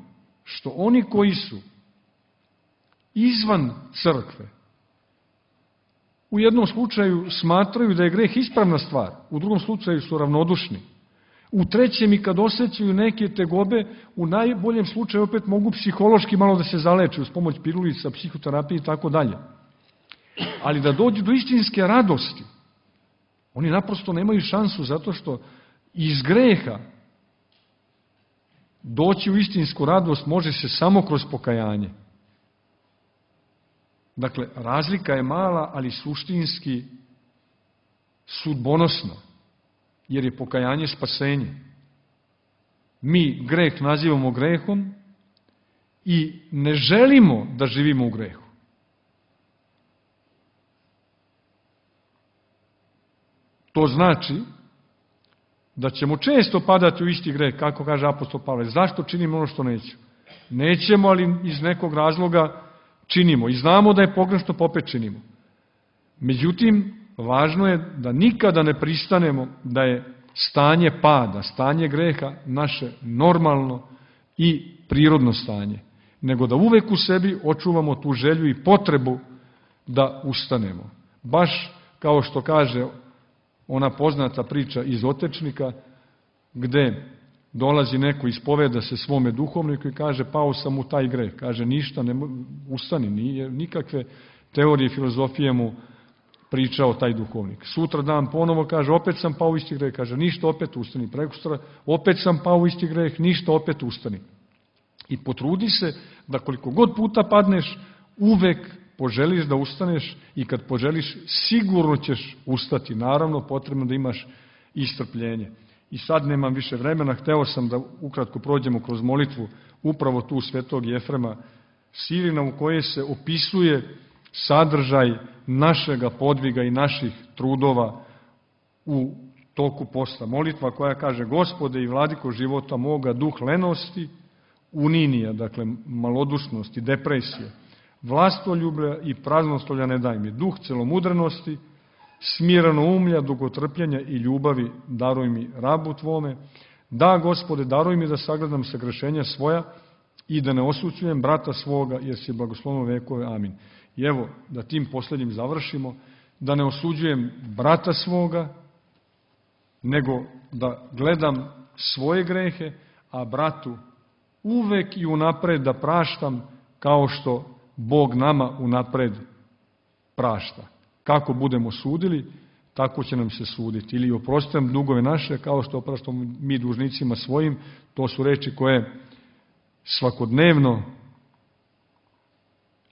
što oni koji su izvan crkve u jednom slučaju smatraju da je greh ispravna stvar, u drugom slučaju su ravnodušni. U trećem i kad osjećaju neke tegobe, u najboljem slučaju opet mogu psihološki malo da se zaleče uz pomoć pirulica, psihoterapije i tako dalje. Ali da dođu do istinske radosti, oni naprosto nemaju šansu zato što iz greha doći u istinsku radost može se samo kroz pokajanje. Dakle, razlika je mala, ali suštinski sudbonosna, jer je pokajanje spasenje. Mi greh nazivamo grehom i ne želimo da živimo u grehu. To znači da ćemo često padati u isti greh, kako kaže apostol Pavle. Zašto činimo ono što neću? Nećemo, ali iz nekog razloga činimo i znamo da je pogrešno, pa opet činimo. Međutim, važno je da nikada ne pristanemo da je stanje pada, stanje greha naše normalno i prirodno stanje, nego da uvek u sebi očuvamo tu želju i potrebu da ustanemo. Baš kao što kaže ona poznata priča iz Otečnika, gde dolazi neko, ispoveda se svome duhovniku i kaže, pao sam u taj greh. Kaže, ništa, ustani, nije nikakve teorije filozofije mu pričao taj duhovnik. Sutra dan ponovo kaže, opet sam pao u isti greh. Kaže, ništa, opet ustani. Prekosutra, opet sam pao u isti greh, ništa, opet ustani. I potrudi se da koliko god puta padneš, uvek poželiš da ustaneš i kad poželiš, sigurno ćeš ustati. Naravno, potrebno da imaš i strpljenje. I sad nemam više vremena, hteo sam da ukratko prođemo kroz molitvu upravo tu svetog Jefrema Sirina u kojoj se opisuje sadržaj našega podviga i naših trudova u toku posta. Molitva koja kaže, Gospode i vladiko života moga, duh lenosti, uninija, dakle malodušnosti, depresije, vlastoljublja i praznoslovlja ne daj mi, duh celomudrenosti, smirano umlja, dugotrpljenja i ljubavi daruj mi rabu tvome. Da, Gospode, daruj mi da sagledam sagrešenja svoja i da ne osuđujem brata svoga, jer si blagoslovno vekove. Amin. I evo, da tim poslednjim završimo, da ne osuđujem brata svoga, nego da gledam svoje grehe, a bratu uvek i unapred da praštam kao što Bog nama unapred prašta. Kako budemo sudili, tako će nam se suditi. Ili oprostam dugove naše, kao što opraštamo mi dužnicima svojim. To su reči koje svakodnevno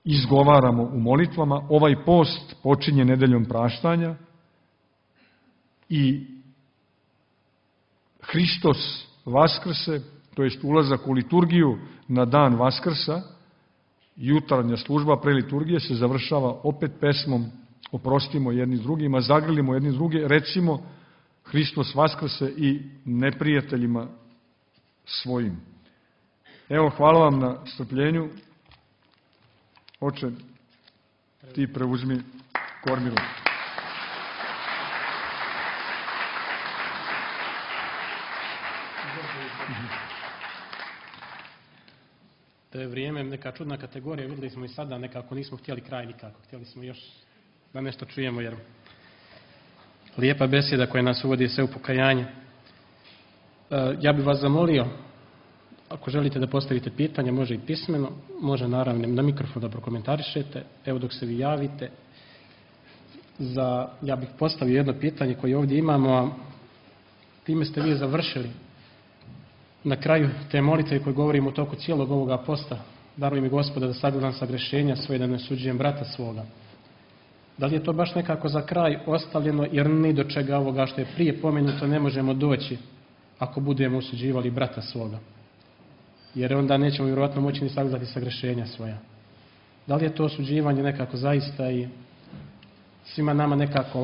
izgovaramo u molitvama. Ovaj post počinje nedeljom praštanja i Hristos vaskrse, to jest ulazak u liturgiju na dan Vaskrsa, jutarnja služba pre liturgije se završava opet pesmom oprostimo jedni drugima, zagrlimo jedni druge, recimo Hristos vaskrse i neprijateljima svojim. Evo, hvala vam na strpljenju. Oče, ti preuzmi kormilu. To je vrijeme neka čudna kategorija, vidjeli smo i sada, nekako nismo htjeli kraj nikako, htjeli smo još da nešto čujemo, jer lijepa besjeda koja nas uvodi sve u pokajanje. Ja bih vas zamolio, ako želite da postavite pitanje, može i pismeno, može naravno na mikrofon da prokomentarišete, evo dok se vi javite. Ja bih postavio jedno pitanje koje ovdje imamo, a time ste vi završili. Na kraju te molitve koje govorimo u toku cijelog ovoga posta, daruj mi Gospoda da sagledam sagrešenja svoje, da ne osuđujem brata svoga. Da li je to baš nekako za kraj ostavljeno, jer ni do čega ovoga što je prije pomenuto ne možemo doći ako budemo osuđivali brata svoga. Jer onda nećemo vjerojatno moći ni sagledati sagrešenja svoja. Da li je to osuđivanje nekako zaista i svima nama nekako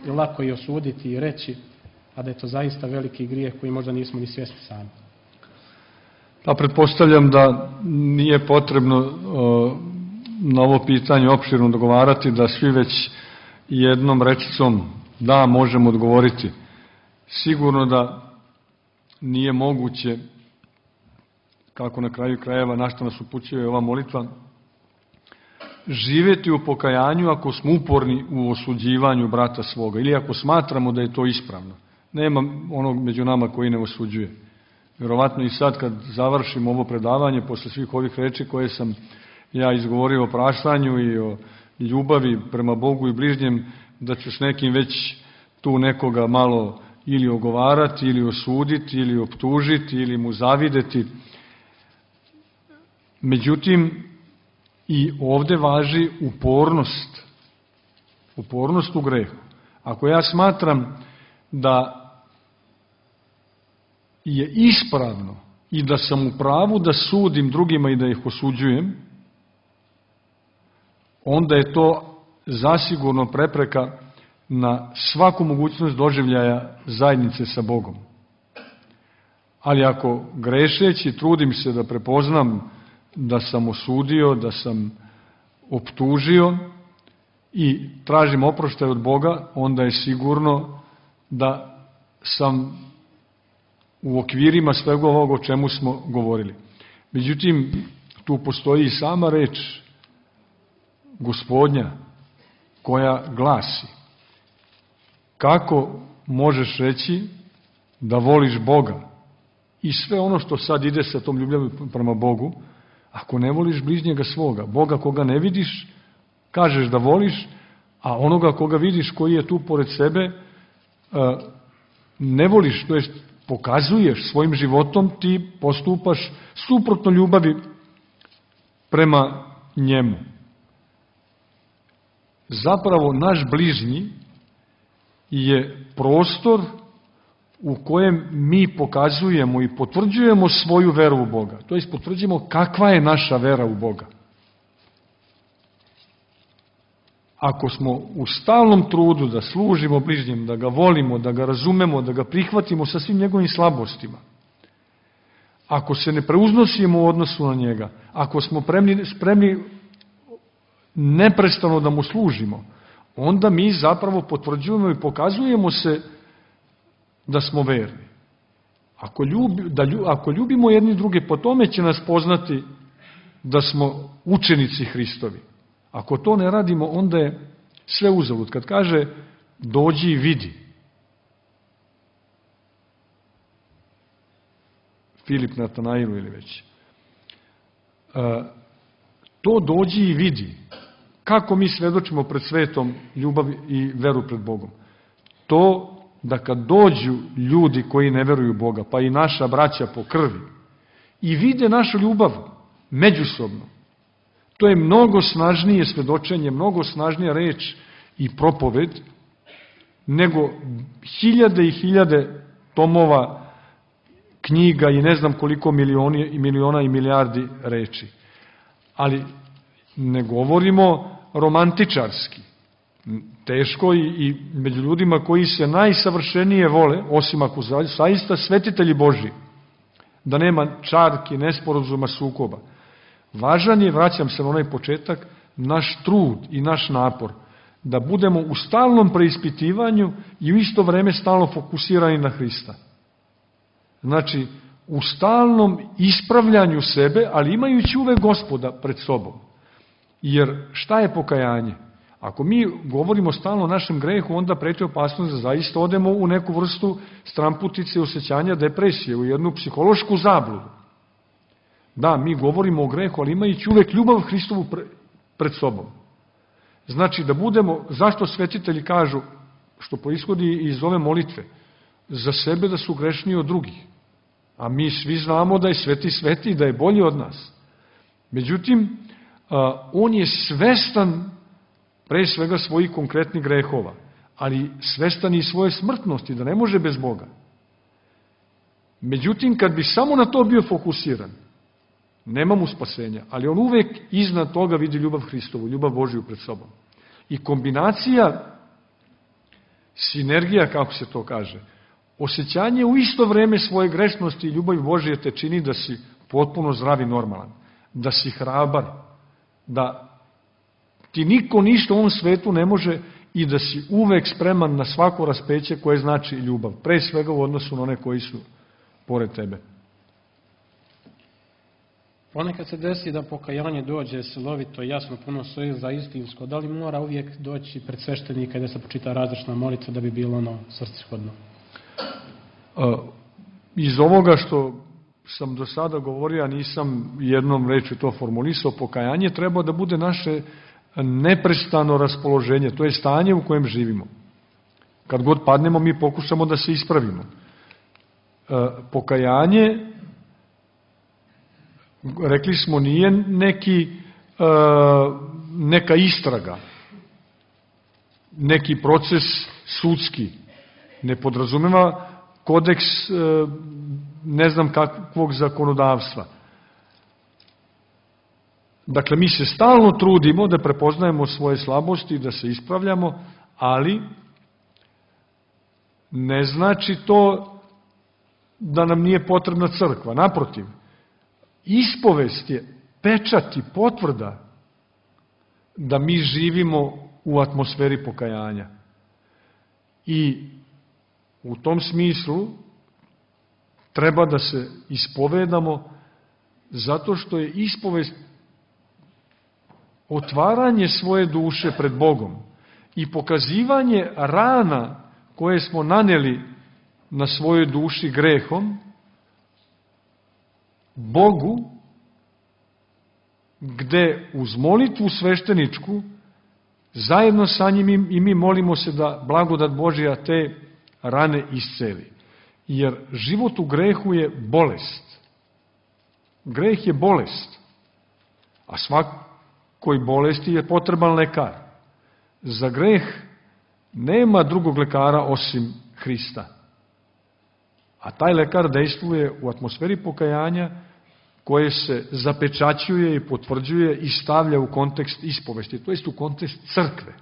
lako i osuditi i reći, a da je to zaista veliki grijeh koji možda nismo ni svjesni sami? Pa pretpostavljam da nije potrebno na ovo pitanje opširno dogovarati, da svi već jednom rečicom da možemo odgovoriti. Sigurno da nije moguće, kako na kraju krajeva na što nas upućuje ova molitva, živjeti u pokajanju ako smo uporni u osuđivanju brata svoga ili ako smatramo da je to ispravno. Nema onog među nama koji ne osuđuje. Vjerovatno i sad kad završim ovo predavanje, posle svih ovih reči koje sam ja izgovorio o praštanju i o ljubavi prema Bogu i bližnjem, da ću s nekim već tu nekoga malo ili ogovarati, ili osuditi, ili optužiti, ili mu zavideti. Međutim, i ovde važi upornost u grehu. Ako ja smatram da je ispravno i da sam u pravu da sudim drugima i da ih osuđujem, onda je to zasigurno prepreka na svaku mogućnost doživljaja zajednice sa Bogom. Ali ako grešeći trudim se da prepoznam da sam osudio, da sam optužio i tražim oproštaj od Boga, onda je sigurno da sam u okvirima svega ovog o čemu smo govorili. Međutim, tu postoji i sama reč Gospodnja koja glasi: kako možeš reći da voliš Boga i sve ono što sad ide sa tom ljubavlju prema Bogu, ako ne voliš bližnjega svoga, Boga koga ne vidiš, kažeš da voliš, a onoga koga vidiš koji je tu pored sebe, ne voliš, to jest pokazuješ svojim životom, ti postupaš suprotno ljubavi prema njemu. Zapravo, naš bližnji je prostor u kojem mi pokazujemo i potvrđujemo svoju veru u Boga. To jest potvrđujemo kakva je naša vera u Boga. Ako smo u stalnom trudu da služimo bližnjem, da ga volimo, da ga razumemo, da ga prihvatimo sa svim njegovim slabostima, ako se ne preuznosimo u odnosu na njega, ako smo spremni neprestano da mu služimo, onda mi zapravo potvrđujemo i pokazujemo se da smo verni. Ako ljubimo jedni druge, po tome će nas poznati da smo učenici Hristovi. Ako to ne radimo, onda je sve uzalud. Kad kaže dođi i vidi, Filip Natanailu ili već. To dođi i vidi. Kako mi svedočimo pred svetom ljubav i veru pred Bogom? To da kad dođu ljudi koji ne veruju Boga, pa i naša braća po krvi, i vide našu ljubav međusobno, to je mnogo snažnije svedočenje, mnogo snažnija reč i propoved, nego hiljade i hiljade tomova, knjiga i ne znam koliko miliona i milijardi reči. Ali ne govorimo romantičarski. Teško i među ljudima koji se najsavršenije vole, osim ako zaista svetitelji Božji, da nema čarki, nesporazuma, sukoba. Važan je, vraćam se na onaj početak, naš trud i naš napor, da budemo u stalnom preispitivanju i u isto vreme stalno fokusirani na Hrista. Znači, u stalnom ispravljanju sebe, ali imajući uvek Gospoda pred sobom. Jer šta je pokajanje? Ako mi govorimo stalno o našem grehu, onda preti opasnost da zaista odemo u neku vrstu stramputice, osjećanja, depresije, u jednu psihološku zabludu. Da, mi govorimo o grehu, ali imajući uvek ljubav Hristovu pred sobom. Znači da budemo, zašto svetitelji kažu, što proishodi iz ove molitve, za sebe da su grešniji od drugih. A mi svi znamo da je sveti i da je bolji od nas. Međutim, on je svestan pre svega svojih konkretnih grehova, ali svestan i svoje smrtnosti, da ne može bez Boga. Međutim, kad bi samo na to bio fokusiran, nema mu spasenja, ali on uvek iznad toga vidi ljubav Hristovu, ljubav Božiju pred sobom. I kombinacija, sinergija, kako se to kaže, osjećanje u isto vreme svoje grešnosti i ljubavi Božije te čini da si potpuno zdrav i normalan, da si hrabar, da ti niko ništa u ovom svetu ne može i da si uvek spreman na svako raspeće koje znači ljubav, pre svega u odnosu na one koji su pored tebe. Ponekad se desi da pokajanje dođe silovito, jasno, puno svoje za istinsko. Da li mora uvijek doći pred sveštenika i da se počita različna molitva da bi bilo ono svrsishodno? Iz ovoga što sam do sada govorio, a nisam jednom rečju to formulisao, pokajanje treba da bude naše neprestano raspoloženje, to je stanje u kojem živimo. Kad god padnemo, mi pokušamo da se ispravimo. Pokajanje, rekli smo, nije neka istraga, neki proces sudski, ne podrazumeva kodeks ne znam kakvog zakonodavstva. Dakle, mi se stalno trudimo da prepoznajemo svoje slabosti, da se ispravljamo, ali ne znači to da nam nije potrebna crkva. Naprotiv, ispovest je pečat i potvrda da mi živimo u atmosferi pokajanja. I u tom smislu treba da se ispovedamo zato što je ispovest otvaranje svoje duše pred Bogom i pokazivanje rana koje smo naneli na svojoj duši grehom Bogu, gde uz molitvu svešteničku zajedno sa njim i mi molimo se da blagodat Božja te rane isceli. Jer život u grehu je bolest. Greh je bolest. A svakoj bolesti je potreban lekar. Za greh nema drugog lekara osim Hrista. A taj lekar dejstvuje u atmosferi pokajanja koje se zapečaćuje i potvrđuje i stavlja u kontekst ispovesti, to jest u kontekst crkve.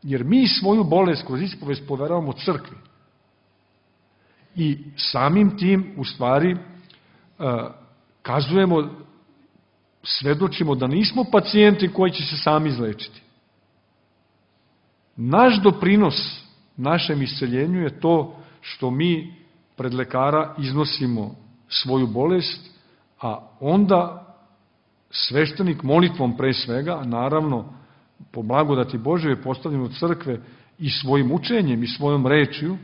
Jer mi svoju bolest kroz ispovest poveravamo crkvi. I samim tim, u stvari, kazujemo, svedočimo da nismo pacijenti koji će se sami izlečiti. Naš doprinos našem isceljenju je to što mi pred lekara iznosimo svoju bolest, a onda sveštenik molitvom pre svega, naravno po blagodati Božje postavljeno u crkve i svojim učenjem i svojom rečju,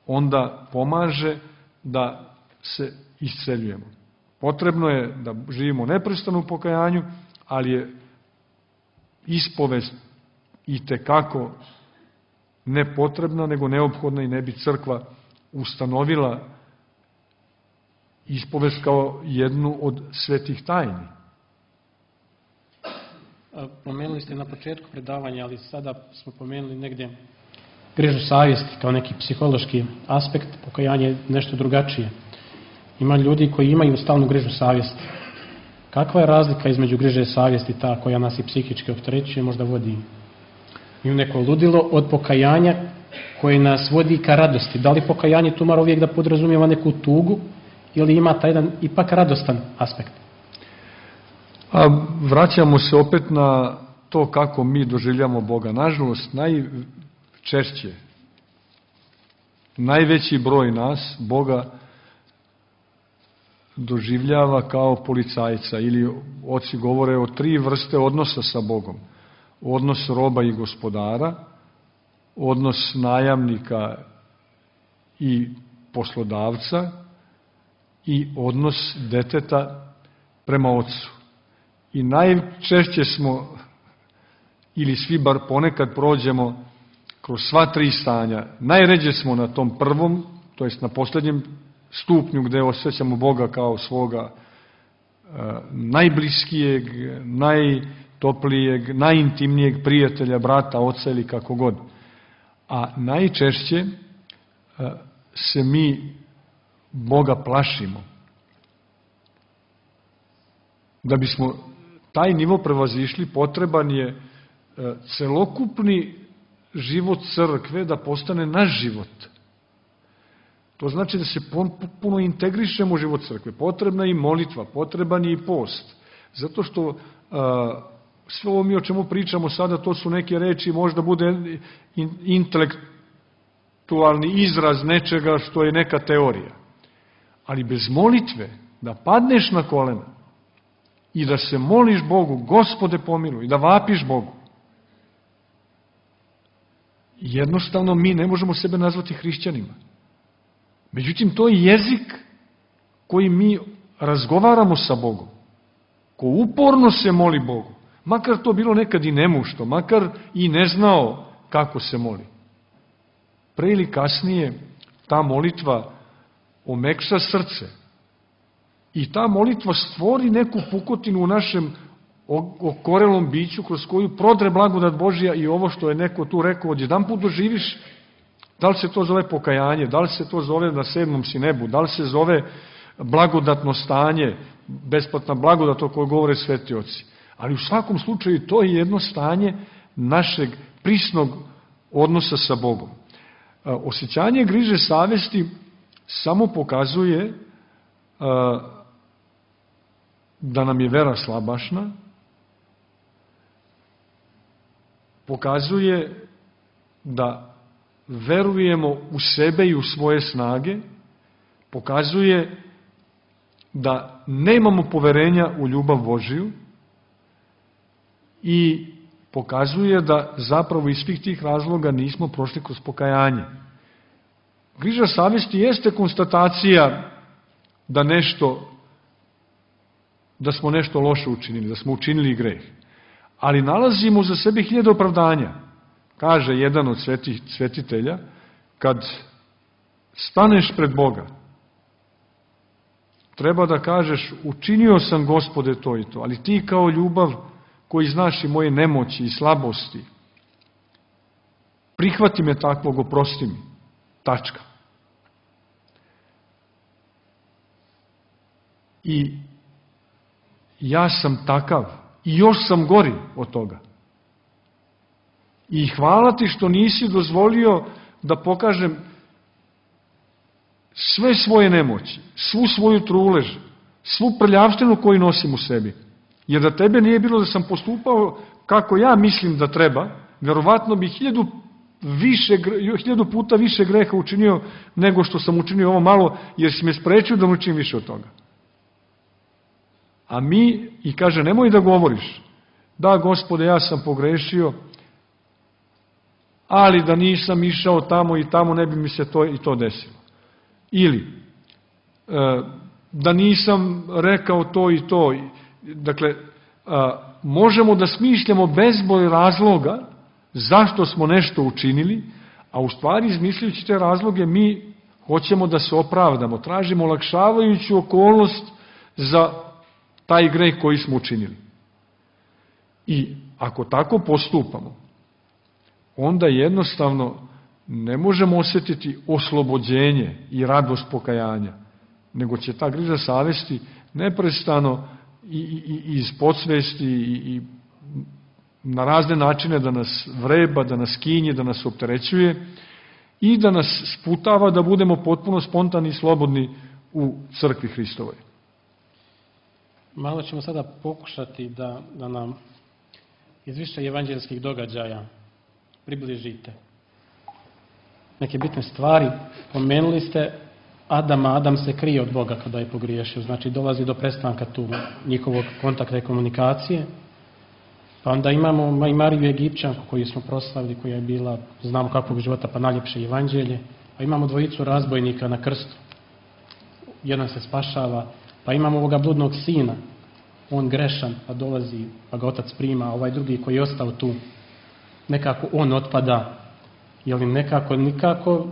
onda pomaže da se isceljujemo. Potrebno je da živimo neprestano u pokajanju, ali je ispovest i tekako ne potrebna, nego neophodna i ne bi crkva ustanovila ispovest kao jednu od svetih tajni. Pomenuli ste na početku predavanja, ali sada smo pomenuli negdje grižu savjesti kao neki psihološki aspekt, pokajanje je nešto drugačije. Ima ljudi koji imaju stalnu grižu savjesti. Kakva je razlika između griže savjesti, ta koja nas i psihički opterećuje, možda vodi i u neko ludilo, od pokajanja koje nas vodi ka radosti? Da li pokajanje tu mora uvijek da podrazumijeva neku tugu ili ima taj jedan ipak radostan aspekt? A vraćamo se opet na to kako mi doživljamo Boga. Nažalost, najčešće, najveći broj nas Boga doživljava kao policajca, ili oci govore o 3 vrste odnosa sa Bogom. Odnos roba i gospodara, odnos najamnika i poslodavca i odnos deteta prema ocu. I najčešće smo, ili svi bar ponekad prođemo kroz sva 3 stanja. Najređe smo na tom prvom, to jest na posljednjem stupnju gde osjećamo Boga kao svoga najbliskijeg, najtoplijeg, najintimnijeg prijatelja, brata, oca ili kako god. A najčešće se mi Boga plašimo. Da bismo taj nivo prevazišli, potreban je celokupni život crkve da postane naš život. To znači da se puno integrišemo u život crkve. Potrebna je i molitva, potreban je i post. Zato što sve ovo mi o čemu pričamo sada, to su neke reči, možda bude intelektualni izraz nečega što je neka teorija. Ali bez molitve, da padneš na kolena i da se moliš Bogu, Gospode pomiluj, i da vapiš Bogu, jednostavno mi ne možemo sebe nazvati hrišćanima. Međutim, to je jezik koji mi razgovaramo sa Bogom, ko uporno se moli Bogu, makar to bilo nekad i nemušto, makar i ne znao kako se moli. Pre ili kasnije ta molitva omekša srce i ta molitva stvori neku pukotinu u našem okorelom biću kroz koju prodre blagodat Božja i ovo što je neko tu rekao, odjedanput doživiš. Da li se to zove pokajanje, da li se to zove na 7. si nebu, da li se zove blagodatno stanje, besplatna blagodat o kojoj govore sveti oci. Ali u svakom slučaju to je jedno stanje našeg prisnog odnosa sa Bogom. Osjećanje griže savesti samo pokazuje da nam je vera slabašna, pokazuje da verujemo u sebe i u svoje snage, pokazuje da nemamo poverenja u ljubav Božiju i pokazuje da zapravo iz svih tih razloga nismo prošli kroz pokajanje. Griža savesti jeste konstatacija da smo nešto loše učinili, da smo učinili greh. Ali nalazimo za sebe 1000 opravdanja. Kaže jedan od svetitelja, kad staneš pred Boga, treba da kažeš, učinio sam Gospode to i to, ali ti kao ljubav koji znaš i moje nemoći i slabosti, prihvati me takvog, oprosti mi. Tačka. I ja sam takav i još sam gori od toga. I hvala ti što nisi dozvolio da pokažem sve svoje nemoći, svu svoju trulež, svu prljavštinu koju nosim u sebi. Jer da tebe nije bilo da sam postupao kako ja mislim da treba, verovatno bi 1000 puta više greha učinio nego što sam učinio ovo malo, jer si me sprečio da učim više od toga. A mi, i kaže, nemoj da govoriš, da Gospode, ja sam pogrešio, ali da nisam išao tamo i tamo ne bi mi se to i to desilo. Ili, da nisam rekao to i to. Dakle, možemo da smišljamo bezbroj razloga zašto smo nešto učinili, a u stvari izmišljajući te razloge mi hoćemo da se opravdamo, tražimo olakšavajuću okolnost za taj greh koji smo učinili. I ako tako postupamo, onda jednostavno ne možemo osjetiti oslobođenje i radost pokajanja, nego će ta griža savesti neprestano i iz podsvesti i na razne načine da nas vreba, da nas kinje, da nas opterećuje i da nas sputava da budemo potpuno spontani i slobodni u crkvi Hristovoj. Malo ćemo sada pokušati da nam iz više evanđelskih događaja približite neke bitne stvari. Pomenuli ste Adama. Adam se krije od Boga kada je pogriješio, znači dolazi do prestanka tu njihovog kontakta i komunikacije. Pa onda imamo i Mariju Egipćanku koju smo proslavili, koja je bila, znamo kakvog života, pa najljepše evanđelje. Pa imamo dvojicu razbojnika na krstu. Jedan se spašava. Pa imamo ovoga bludnog sina. On grešan, pa dolazi, pa ga otac prima. Ovaj drugi koji je ostao tu, nekako on otpada. Jer nikako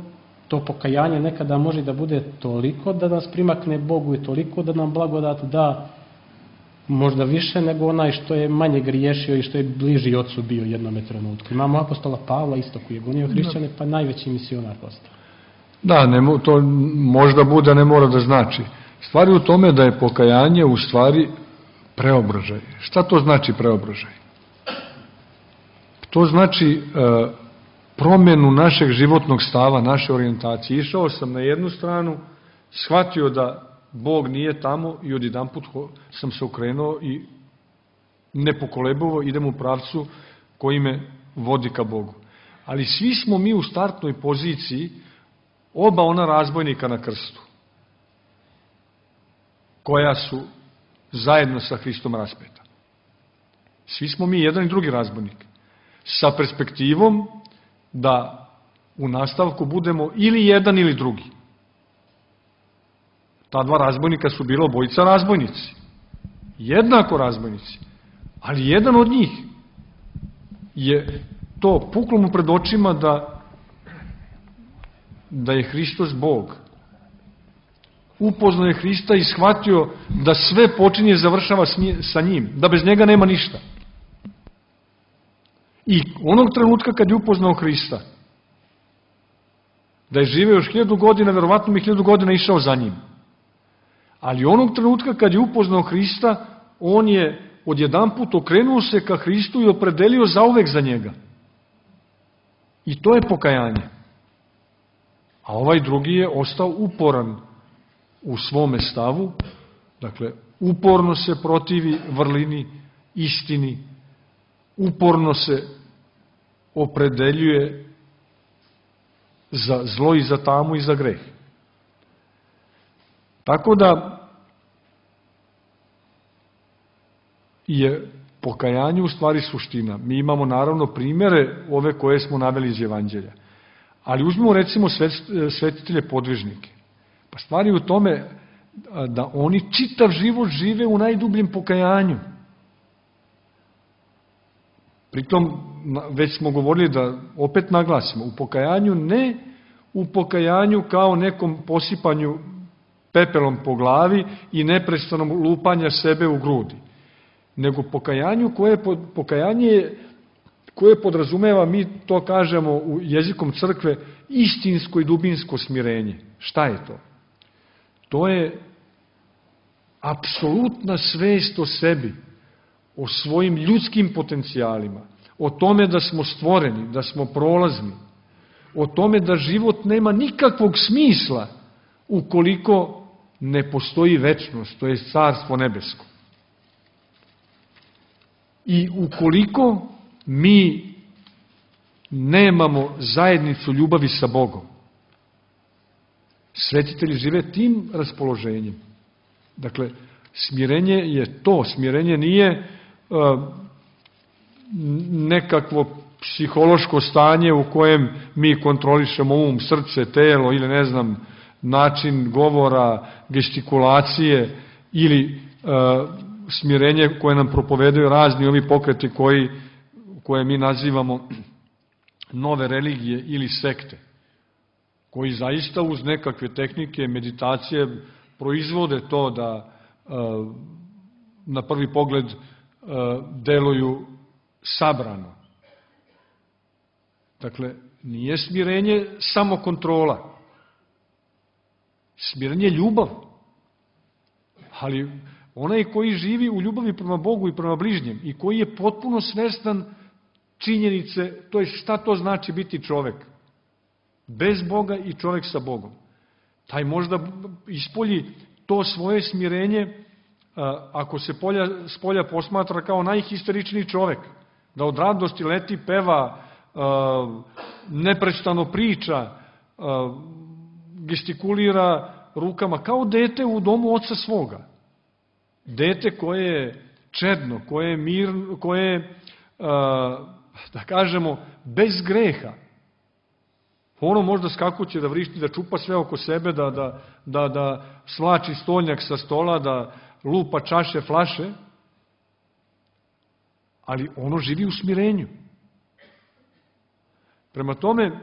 to pokajanje nekada može da bude toliko da nas primakne Bogu i toliko da nam blagodat da, možda više nego onaj što je manje griješio i što je bliži ocu bio jednome trenutku. Imamo apostola Pavla isto koji je gonio hrišćane, pa najveći misionar postao. Da, to možda bude, ne mora da znači. Stvar je u tome da je pokajanje u stvari preobražaj. Šta to znači preobražaj? To znači promjenu našeg životnog stava, naše orijentacije. Išao sam na jednu stranu, shvatio da Bog nije tamo i odjedanput sam se okrenuo i nepokolebljivo idem u pravcu koji me vodi ka Bogu. Ali svi smo mi u startnoj poziciji oba ona razbojnika na krstu, koja su zajedno sa Hristom raspeta. Svi smo mi jedan i drugi razbojnik, sa perspektivom da u nastavku budemo ili jedan ili drugi. Ta dva razbojnika su bila obojica razbojnici, jednako razbojnici, ali jedan od njih je to puklo mu pred očima da je Hristos Bog. Upoznao je Hrista i shvatio da sve počinje i završava sa njim, da bez njega nema ništa. I onog trenutka kad je upoznao Hrista, da je živeo još 1000 godina, verovatno mi 1000 godina išao za njim. Ali onog trenutka kad je upoznao Hrista, on je odjedanput okrenuo se ka Hristu i opredelio zauvek za njega. I to je pokajanje. A ovaj drugi je ostao uporan u svome stavu, dakle, uporno se protivi vrlini, istini, uporno se opredeljuje za zlo i za tamu i za greh. Tako da je pokajanje u stvari suština. Mi imamo naravno primjere ove koje smo naveli iz Evanđelja. Ali uzmimo recimo svetitelje podvižnike. Pa stvari u tome da oni čitav život žive u najdubljem pokajanju. Pritom, već smo govorili da opet naglasimo, u pokajanju ne u pokajanju kao nekom posipanju pepelom po glavi i neprestanom lupanja sebe u grudi, nego pokajanje koje podrazumeva, mi to kažemo u jezikom crkve, istinsko i dubinsko smirenje. Šta je to? To je apsolutna svest o sebi, o svojim ljudskim potencijalima, o tome da smo stvoreni, da smo prolazni, o tome da život nema nikakvog smisla ukoliko ne postoji večnost, to je carstvo nebesko. I ukoliko mi nemamo zajednicu ljubavi sa Bogom, svetitelji žive tim raspoloženjem. Dakle, smirenje je to. Smirenje nije nekakvo psihološko stanje u kojem mi kontrolišemo srce, telo ili ne znam, način govora, gestikulacije ili smirenje koje nam propovedaju razni ovi pokreti koje mi nazivamo nove religije ili sekte, koji zaista uz nekakve tehnike, meditacije proizvode to da na prvi pogled deluju sabrano. Dakle, nije smirenje samo kontrola. Smirenje je ljubav. Ali onaj koji živi u ljubavi prema Bogu i prema bližnjem i koji je potpuno svestan činjenice, to je šta to znači biti čovek. Bez Boga i čovek sa Bogom. Taj možda ispolji to svoje smirenje, ako se spolja posmatra kao najhisteričniji čovek, da od radosti leti, peva, neprestano priča, gestikulira rukama, kao dete u domu oca svoga. Dete koje je čedno, koje je mirno, koje je, da kažemo, bez greha. Ono možda skakuće da vrišti, da čupa sve oko sebe, da svlači stolnjak sa stola, da lupa čaše, flaše, ali ono živi u smirenju. Prema tome,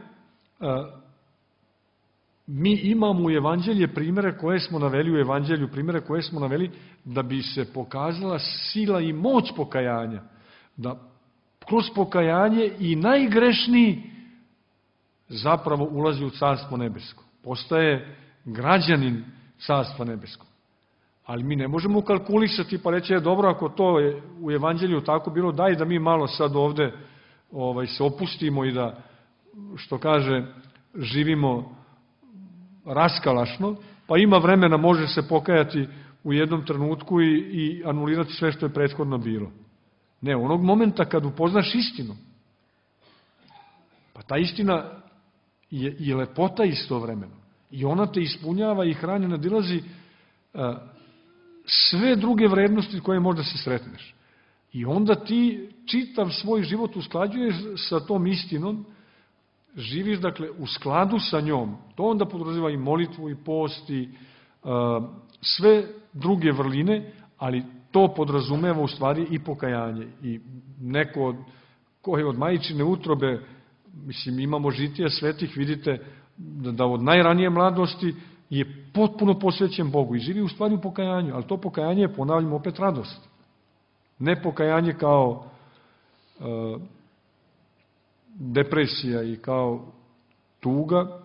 mi imamo u Evanđelje primere koje smo naveli u Evanđelju, primere koje smo naveli da bi se pokazala sila i moć pokajanja, da kroz pokajanje i najgrešniji zapravo ulazi u Carstvo nebesko. Postaje građanin Carstva nebeskog. Ali mi ne možemo kalkulisati pa reći, dobro, ako to je u Evanđelju tako bilo, daj da mi malo sad ovde se opustimo i da, što kaže, živimo raskalašno, pa ima vremena, može se pokajati u jednom trenutku i anulirati sve što je prethodno bilo. Ne, onog momenta kad upoznaš istinu, pa ta istina je i lepota istovremeno. I ona te ispunjava i hrani, nadilazi sve druge vrednosti koje možda se sretneš. I onda ti čitav svoj život usklađuješ sa tom istinom, živiš, dakle, u skladu sa njom. To onda podrazumeva i molitvu, i post, i sve druge vrline, ali to podrazumeva u stvari i pokajanje. I neko ko je od majčine utrobe, mislim, imamo žitija svetih, vidite da od najranije mladosti je potpuno posvećen Bogu i živi u stvari u pokajanju, ali to pokajanje je, ponavljamo, opet radost. Ne pokajanje kao depresija i kao tuga,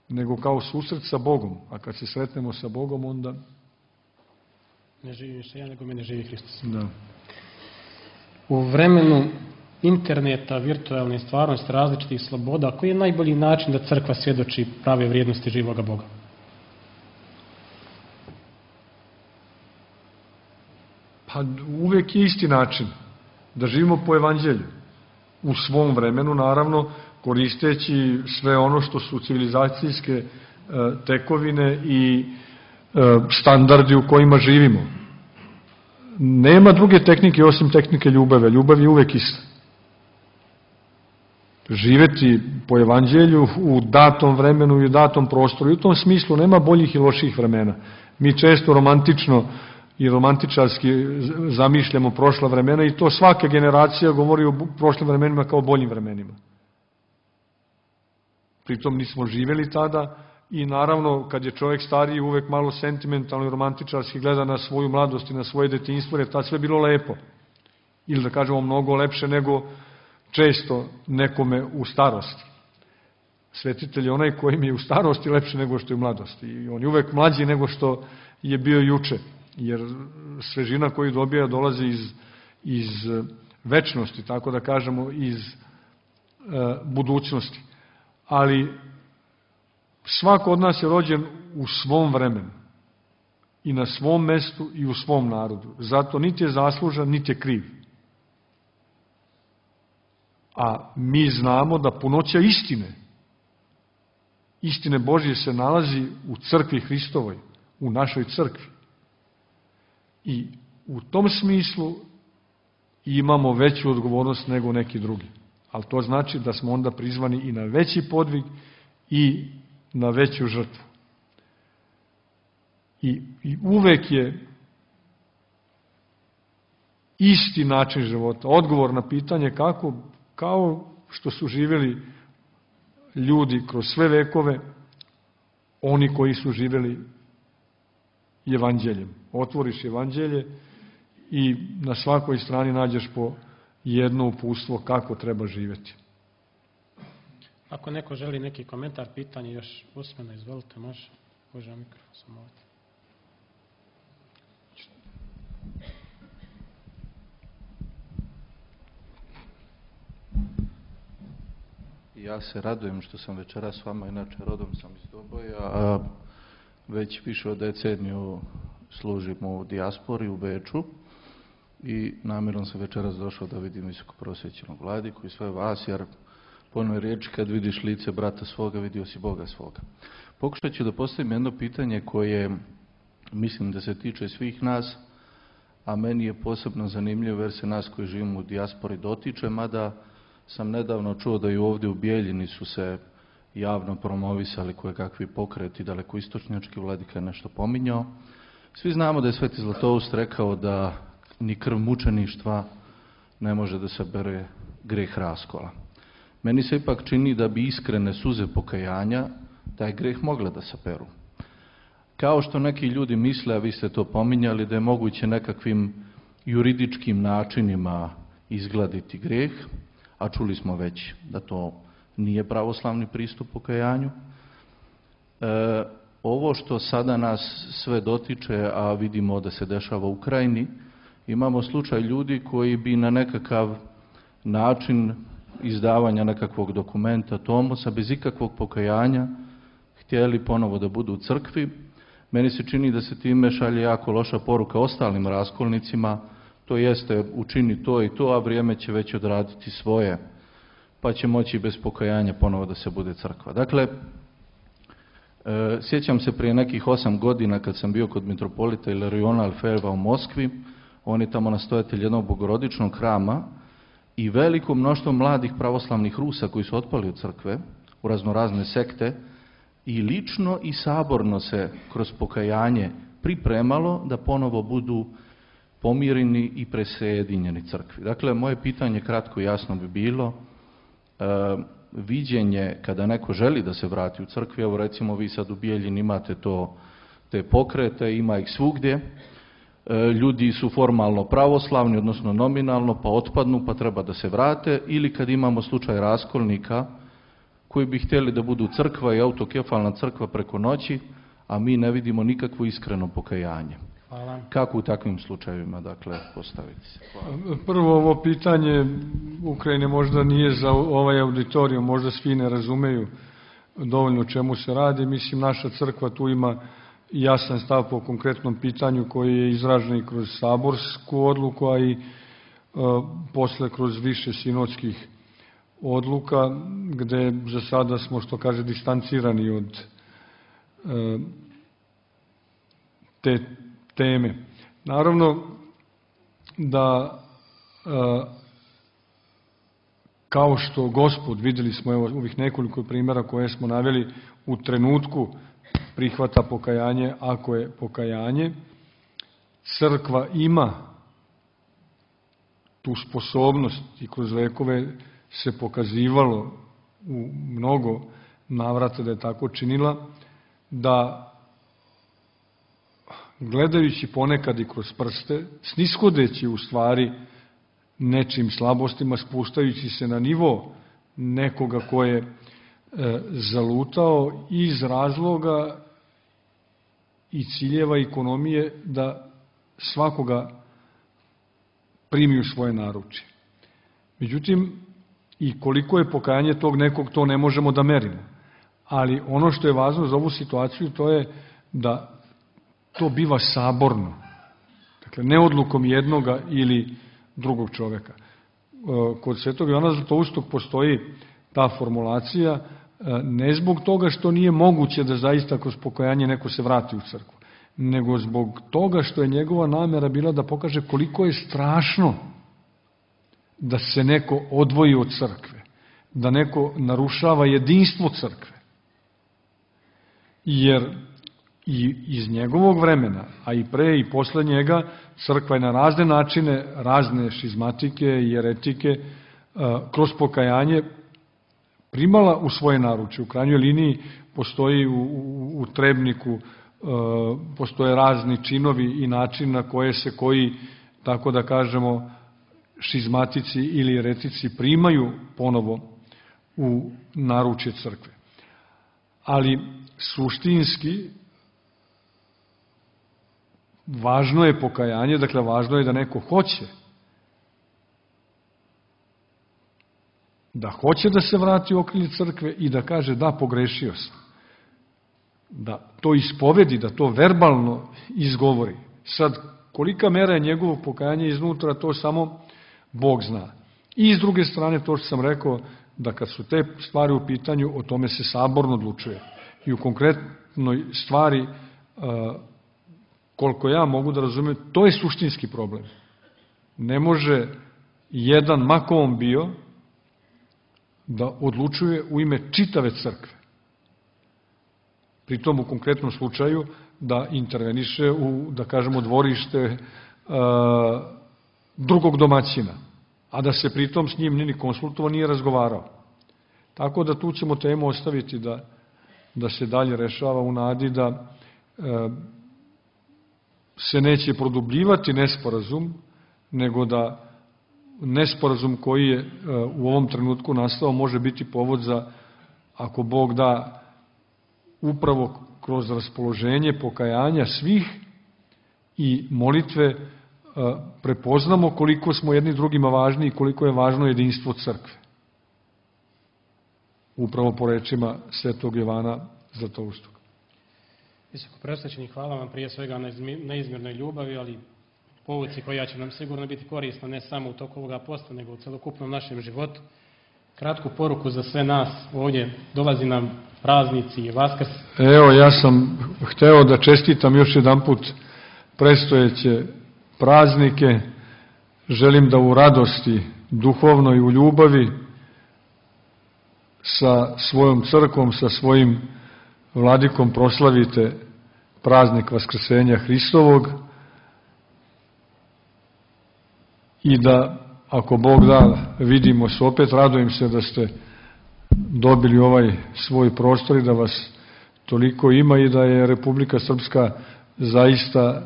nego kao susret sa Bogom. A kad se sretnemo sa Bogom, onda... Ne živi više ja, nego mene živi Hristos. Da. U vremenu interneta, virtualne stvarnosti, različitih sloboda, koji je najbolji način da crkva svjedoči prave vrijednosti živoga Boga? Pa uvek je isti način. Da živimo po Evanđelju. U svom vremenu, naravno, koristeći sve ono što su civilizacijske tekovine i standardi u kojima živimo. Nema druge tehnike osim tehnike ljubave. Ljubav je uvek ista. Živeti po Evanđelju u datom vremenu i u datom prostoru. I u tom smislu nema boljih i loših vremena. Mi često romantično i romantičarski zamišljamo prošla vremena i to svaka generacija govori o prošlim vremenima kao boljim vremenima. Pritom nismo živeli tada i naravno kad je čovjek stariji uvek malo sentimentalno i romantičarski gleda na svoju mladost i na svoje detinjstvo, jer tad sve bilo lepo. Ili da kažemo mnogo lepše nego često nekome u starosti. Svetitelj je onaj koji mi je u starosti lepše nego što je u mladosti. I on je uvek mlađi nego što je bio juče. Jer svežina koju dobija dolazi iz večnosti, tako da kažemo iz budućnosti. Ali svako od nas je rođen u svom vremenu i na svom mestu i u svom narodu. Zato niti je zaslužan, niti je kriv. A mi znamo da punoća istine Božje se nalazi u crkvi Hristovoj, u našoj crkvi. I u tom smislu imamo veću odgovornost nego neki drugi. Ali to znači da smo onda prizvani i na veći podvig i na veću žrtvu. I uvek je isti način života, odgovor na pitanje kako, kao što su živjeli ljudi kroz sve vekove, oni koji su živjeli evanđeljem. Otvoriš evanđelje i na svakoj strani nađeš po jedno uputstvo kako treba živjeti. Ako neko želi neki komentar, pitanje još usmeno, izvolite, može. Može mikrofon samo ovdje. Ja se radujem što sam večeras s vama, inače rodom sam iz Doboja, a već više od deceniju služim u dijaspori u Beču i namjerno sam večeras došao da vidim visokoprosvećenog vladiku i sve vas, jer po onoj riječi kad vidiš lice brata svoga, vidio si Boga svoga. Pokušat ću da postavim jedno pitanje koje mislim da se tiče svih nas, a meni je posebno zanimljivo jer se nas koji živimo u dijaspori dotiče, mada sam nedavno čuo da i ovdje u Bijeljini su se javno promovisali kojekakvi pokreti, dalekoistočnjački, vladika je nešto pominjao. Svi znamo da je Sveti Zlatoust rekao da ni krv mučeništva ne može da sabere greh raskola. Meni se ipak čini da bi iskrene suze pokajanja taj greh mogla da saperu. Kao što neki ljudi misle, a vi ste to pominjali, da je moguće nekakvim juridičkim načinima izgladiti greh, a čuli smo već da to nije pravoslavni pristup pokajanju. Ovo što sada nas sve dotiče, a vidimo da se dešava u Ukrajini, imamo slučaj ljudi koji bi na nekakav način izdavanja nekakvog dokumenta, tomosa, bez ikakvog pokajanja, htjeli ponovo da budu u crkvi. Meni se čini da se time šalje jako loša poruka ostalim raskolnicima, to jeste učini to i to, a vrijeme će već odraditi svoje, pa će moći bez pokajanja ponovo da se bude crkva. Dakle, sjećam se prije nekih 8 godina kad sam bio kod mitropolita Ilariona Alfejeva u Moskvi, on je tamo nastojatelj jednog bogorodičnog hrama i veliko mnoštvo mladih pravoslavnih Rusa koji su otpali od crkve u raznorazne sekte i lično i saborno se kroz pokajanje pripremalo da ponovo budu pomireni i presjedinjeni crkvi. Dakle, moje pitanje kratko i jasno bi bilo, viđenje kada neko želi da se vrati u crkvi, evo recimo vi sad u Bijeljini imate te pokrete, ima ih svugdje, ljudi su formalno pravoslavni, odnosno nominalno, pa otpadnu, pa treba da se vrate, ili kad imamo slučaj raskolnika koji bi htjeli da budu crkva i autokefalna crkva preko noći, a mi ne vidimo nikakvo iskreno pokajanje. Hvala. Kako u takvim slučajevima, dakle, postaviti se? Hvala. Prvo, ovo pitanje Ukrajine možda nije za ovaj auditorijum, možda svi ne razumeju dovoljno o čemu se radi. Mislim, naša crkva tu ima jasan stav po konkretnom pitanju koji je izražen i kroz saborsku odluku, a i posle kroz više sinodskih odluka, gde za sada smo, što kaže, distancirani od te teme. Naravno da kao što Gospod, vidjeli smo evo ovih nekoliko primjera koje smo naveli, u trenutku prihvata pokajanje, ako je pokajanje, crkva ima tu sposobnost i kroz vekove se pokazivalo u mnogo navrata da je tako činila, da gledajući ponekad i kroz prste, snishodeći u stvari nečim slabostima, spuštajući se na nivo nekoga ko je zalutao iz razloga i ciljeva ekonomije da svakoga primi u svoje naručje. Međutim, i koliko je pokajanje tog nekog, to ne možemo da merimo. Ali ono što je važno za ovu situaciju, to je da to biva saborno. Dakle, ne odlukom jednoga ili drugog čoveka. Kod Svetog Jovana Zlatoustog postoji ta formulacija, ne zbog toga što nije moguće da zaista kroz pokajanje neko se vrati u crkvu, nego zbog toga što je njegova namjera bila da pokaže koliko je strašno da se neko odvoji od crkve, da neko narušava jedinstvo crkve. jer i iz njegovog vremena, a i pre i posle njega, crkva je na razne načine, razne šizmatike i jeretike, kroz pokajanje primala u svoje naručje. U krajnjoj liniji postoji u Trebniku, postoje razni činovi i način na koje se koji, tako da kažemo, šizmatici ili jeretici primaju ponovo u naručje crkve. Ali suštinski važno je pokajanje, dakle važno je da neko hoće da se vrati u okrilje crkve i da kaže da, pogrešio sam. Da to ispovedi, da to verbalno izgovori. Sad, kolika mera je njegovo pokajanje iznutra, to samo Bog zna. I s druge strane, to što sam rekao, da kad su te stvari u pitanju, o tome se saborno odlučuje. I u konkretnoj stvari, koliko ja mogu da razumem, to je suštinski problem. Ne može jedan, ma ko on bio, da odlučuje u ime čitave crkve. Pritom u konkretnom slučaju da interveniše u, da kažemo, dvorište drugog domaćina, a da se pritom s njim ni konsultovao, nije razgovarao. Tako da tu ćemo temu ostaviti da se dalje rešava u nadi da se neće produbljivati nesporazum, nego da nesporazum koji je u ovom trenutku nastao može biti povod za, ako Bog da, upravo kroz raspoloženje pokajanja svih i molitve prepoznamo koliko smo jedni drugima važni i koliko je važno jedinstvo crkve. Upravo po rečima svetog Jovana Zlatoustog. Visoko preosvećeni, hvala vam prije svega na neizmjernoj ljubavi, ali pouci koja će nam sigurno biti korisna ne samo u toku ovoga posta, nego u celokupnom našem životu. Kratku poruku za sve nas ovdje, dolazi nam praznici i Vaskrs. Evo, ja sam hteo da čestitam još jedanput predstojeće praznike. Želim da u radosti, duhovnoj, u ljubavi sa svojom crkvom, sa svojim vladikom proslavite praznik Vaskrsenja Hristovog i da, ako Bog da, vidimo se opet. Radujem se da ste dobili ovaj svoj prostor i da vas toliko ima i da je Republika Srpska zaista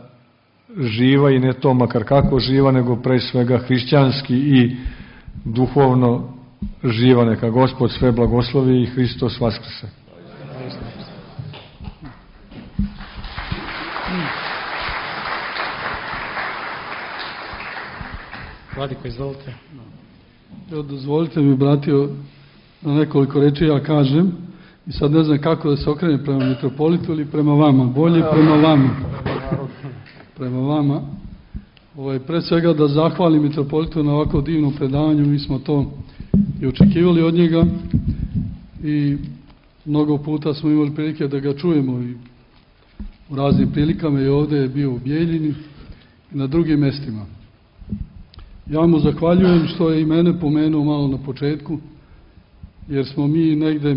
živa i ne to makar kako živa, nego pre svega hrišćanski i duhovno živa. Neka Gospod sve blagoslovi i Hristos Vaskrse. Vladiko, izvolite. Evo, dozvolite mi, bratio, na nekoliko reči ja kažem i sad ne znam kako da se okrenem prema mitropolitu ili prema vama. Bolje prema vama. Prema vama. Pre svega da zahvalim mitropolitu na ovako divnom predavanju. Mi smo to i očekivali od njega i mnogo puta smo imali prilike da ga čujemo i u raznim prilikama i ovde je bio u Bijeljini i na drugim mestima. Ja mu zahvaljujem što je i mene pomenuo malo na početku, jer smo mi negde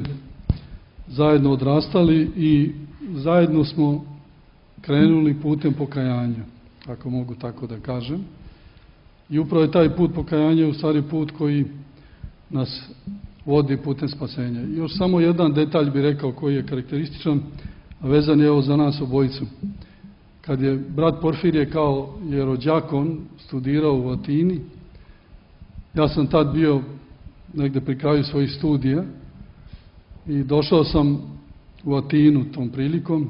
zajedno odrastali i zajedno smo krenuli putem pokajanja, ako mogu tako da kažem. I upravo je taj put pokajanja u stvari put koji nas vodi putem spasenja. I još samo jedan detalj bih rekao koji je karakterističan, a vezan je evo za nas obojicu. Kad je brat Porfirije kao jerodjakon studirao u Atini, ja sam tad bio negde pri kraju svojih studija i došao sam u Atinu tom prilikom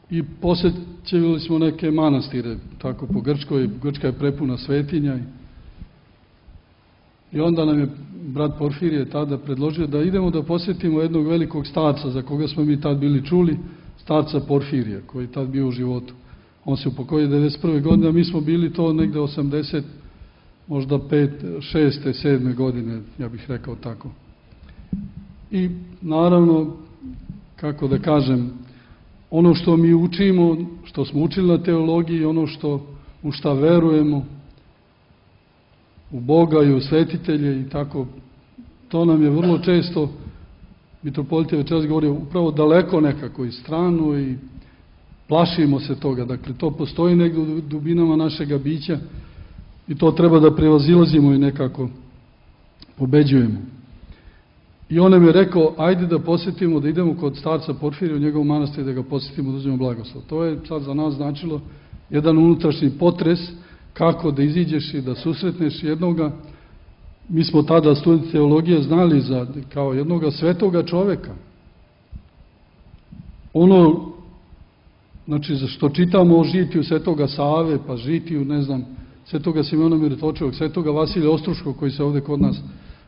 i posjećivali smo neke manastire, tako po Grčkoj. Grčka je prepuna svetinja i onda nam je brat Porfirije tada predložio da idemo da posjetimo jednog velikog starca za koga smo mi tad bili čuli, starca Porfirija, koji je tad bio u životu. On se upokojio 1991. godine, a mi smo bili to negde 80, možda 5, 6, 7 godine, ja bih rekao tako. I naravno, kako da kažem, ono što mi učimo, što smo učili na teologiji, ono u šta verujemo, u Boga i u svetitelje i tako, to nam je vrlo često mitropolit je večeras govorio upravo daleko nekako i strano i plašimo se toga. Dakle, to postoji negdje u dubinama našega bića i to treba da prevazilazimo i nekako pobeđujemo. I on nam je rekao, ajde da posjetimo, da idemo kod starca Porfirija u njegovom manastiru, da ga posjetimo, da uzmemo blagoslov. To je sad za nas značilo jedan unutrašnji potres, kako da iziđeš i da susretneš jednoga. Mi smo tada studenti teologije znali za kao jednoga svetoga čoveka. Ono, znači, za što čitamo o žitiju svetoga Save, pa žitiju, ne znam, svetoga Simeona Mirotočivog, svetoga Vasilija Ostruškog, koji se ovde kod nas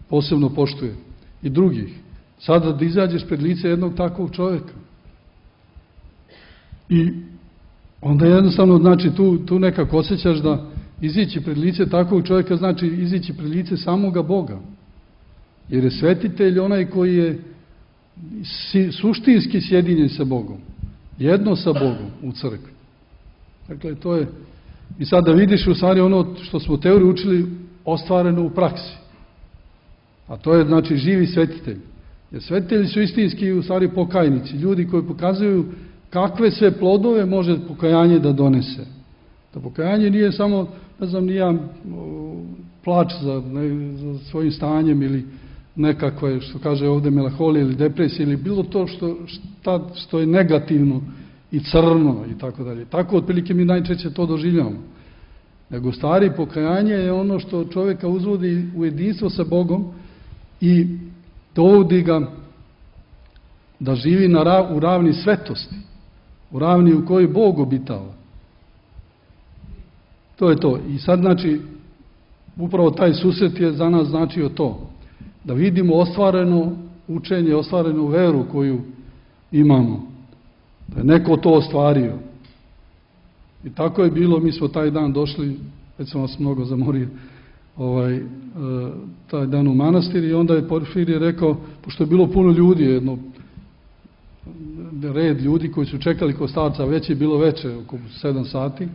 posebno poštuje, i drugih. Sada da izađeš pred lice jednog takvog čoveka. I onda jednostavno, znači, tu nekako osjećaš da izići pred lice takvog čovjeka znači izići pred lice samoga Boga. Jer je svetitelj onaj koji je suštinski sjedinjen sa Bogom. Jedno sa Bogom u crkvi. Dakle, to je... I sad da vidiš u stvari ono što smo u teoriji učili ostvareno u praksi. A to je, znači, živi svetitelj. Jer svetitelji su istinski u stvari pokajnici. Ljudi koji pokazuju kakve sve plodove može pokajanje da donese. Da pokajanje nije samo, ne znam, nije plač za svojim stanjem ili nekakve, što kaže ovde, melanholija ili depresija ili bilo to što je negativno i crno i tako dalje. Tako otprilike mi najčešće to doživljamo. Nego stvari pokajanje je ono što čovjeka uzvodi u jedinstvo sa Bogom i dovodi ga da živi u ravni svetosti, u ravni u kojoj Bog obitava. To je to. I sad, znači, upravo taj susret je za nas značio to. Da vidimo ostvareno učenje, ostvarenu veru koju imamo. Da je neko to ostvario. I tako je bilo, mi smo taj dan došli, već sam vas mnogo zamorio, taj dan u manastir i onda je Porfirije rekao, pošto je bilo puno ljudi, red ljudi koji su čekali kod starca, već je bilo veče, oko 7 sati,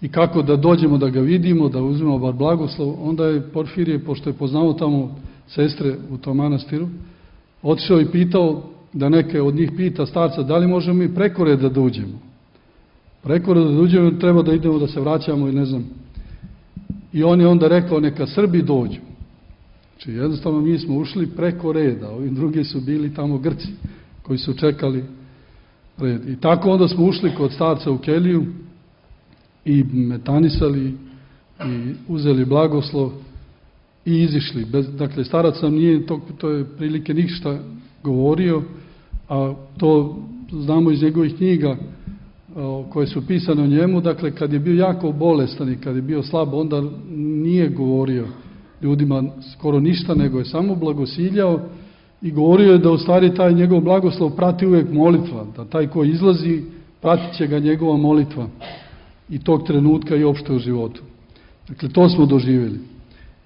i kako da dođemo da ga vidimo, da uzmemo bar blagoslov, onda je Porfirije, pošto je poznao tamo sestre u tom manastiru, otišao i pitao da neke od njih pita starca da li možemo mi preko reda da uđemo. Preko reda da uđemo, treba da idemo da se vraćamo i ne znam. I on je onda rekao neka Srbi dođu. Znači jednostavno mi smo ušli preko reda, ovi drugi su bili tamo Grci koji su čekali red. I tako onda smo ušli kod starca u keliju i metanisali i uzeli blagoslov i izišli. Dakle, starac nam nije to je prilike ništa govorio, a to znamo iz njegovih knjiga koje su pisane o njemu. Dakle, kad je bio jako bolestan i kad je bio slab, onda nije govorio ljudima skoro ništa, nego je samo blagosiljao i govorio je da u stvari taj njegov blagoslov prati uvijek molitva, da taj ko izlazi pratit će ga njegova molitva i tog trenutka i opšte u životu. Dakle, to smo doživjeli.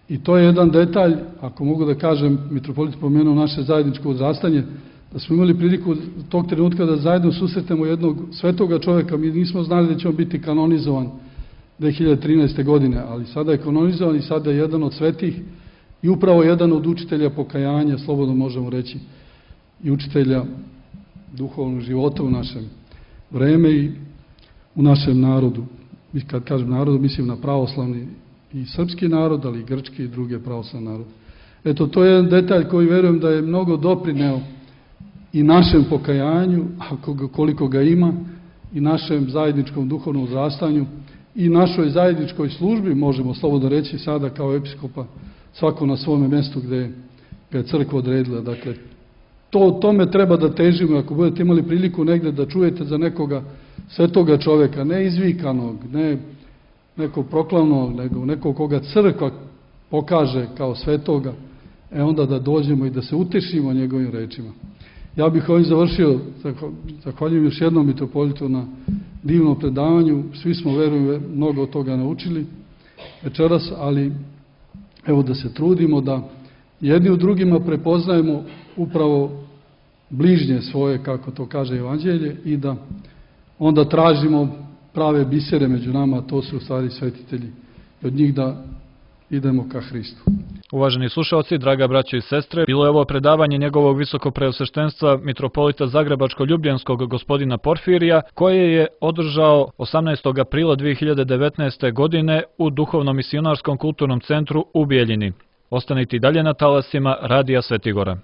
I to je jedan detalj, ako mogu da kažem, mitropolit pomenuo naše zajedničko odrastanje, da smo imali priliku tog trenutka da zajedno susretemo jednog svetoga čovjeka. Mi nismo znali da će on biti kanonizovan 2013. godine, ali sada je kanonizovan i sada je jedan od svetih i upravo jedan od učitelja pokajanja, slobodno možemo reći, i učitelja duhovnog života u našem vreme i u našem narodu. Kad kažem narodu, mislim na pravoslavni i srpski narod, ali i grčki i druge pravoslavne narode. Eto, to je jedan detalj koji verujem da je mnogo doprineo i našem pokajanju, koliko ga ima, i našem zajedničkom duhovnom uzrastanju i našoj zajedničkoj službi, možemo slobodno reći sada kao episkopa, svako na svome mjestu gde ga je crkva odredila. Dakle, tome treba da težimo. Ako budete imali priliku negde da čujete za nekoga svetoga čoveka, ne izvikanog, ne nekog proklavnog, nego nekog koga crkva pokaže kao svetoga, onda da dođemo i da se utešimo njegovim rečima. Ja bih ovim završio, zahvaljujem još jednom mitropolitu na divnom predavanju. Svi smo, verujem, mnogo od toga naučili večeras, ali evo da se trudimo da jedni u drugima prepoznajemo upravo bližnje svoje, kako to kaže Evanđelje, i da onda tražimo prave bisere među nama, a to su u stvari svetitelji, i od njih da idemo ka Hristu. Uvaženi slušalci, draga braćo i sestre, bilo je ovo predavanje njegovog visokopreosveštenstva mitropolita Zagrebačko-ljubljanskog gospodina Porfirija, koje je održao 18. aprila 2019. godine u Duhovnom misionarskom kulturnom centru u Bijeljini. Ostanite i dalje na talasima Radija Svetigora.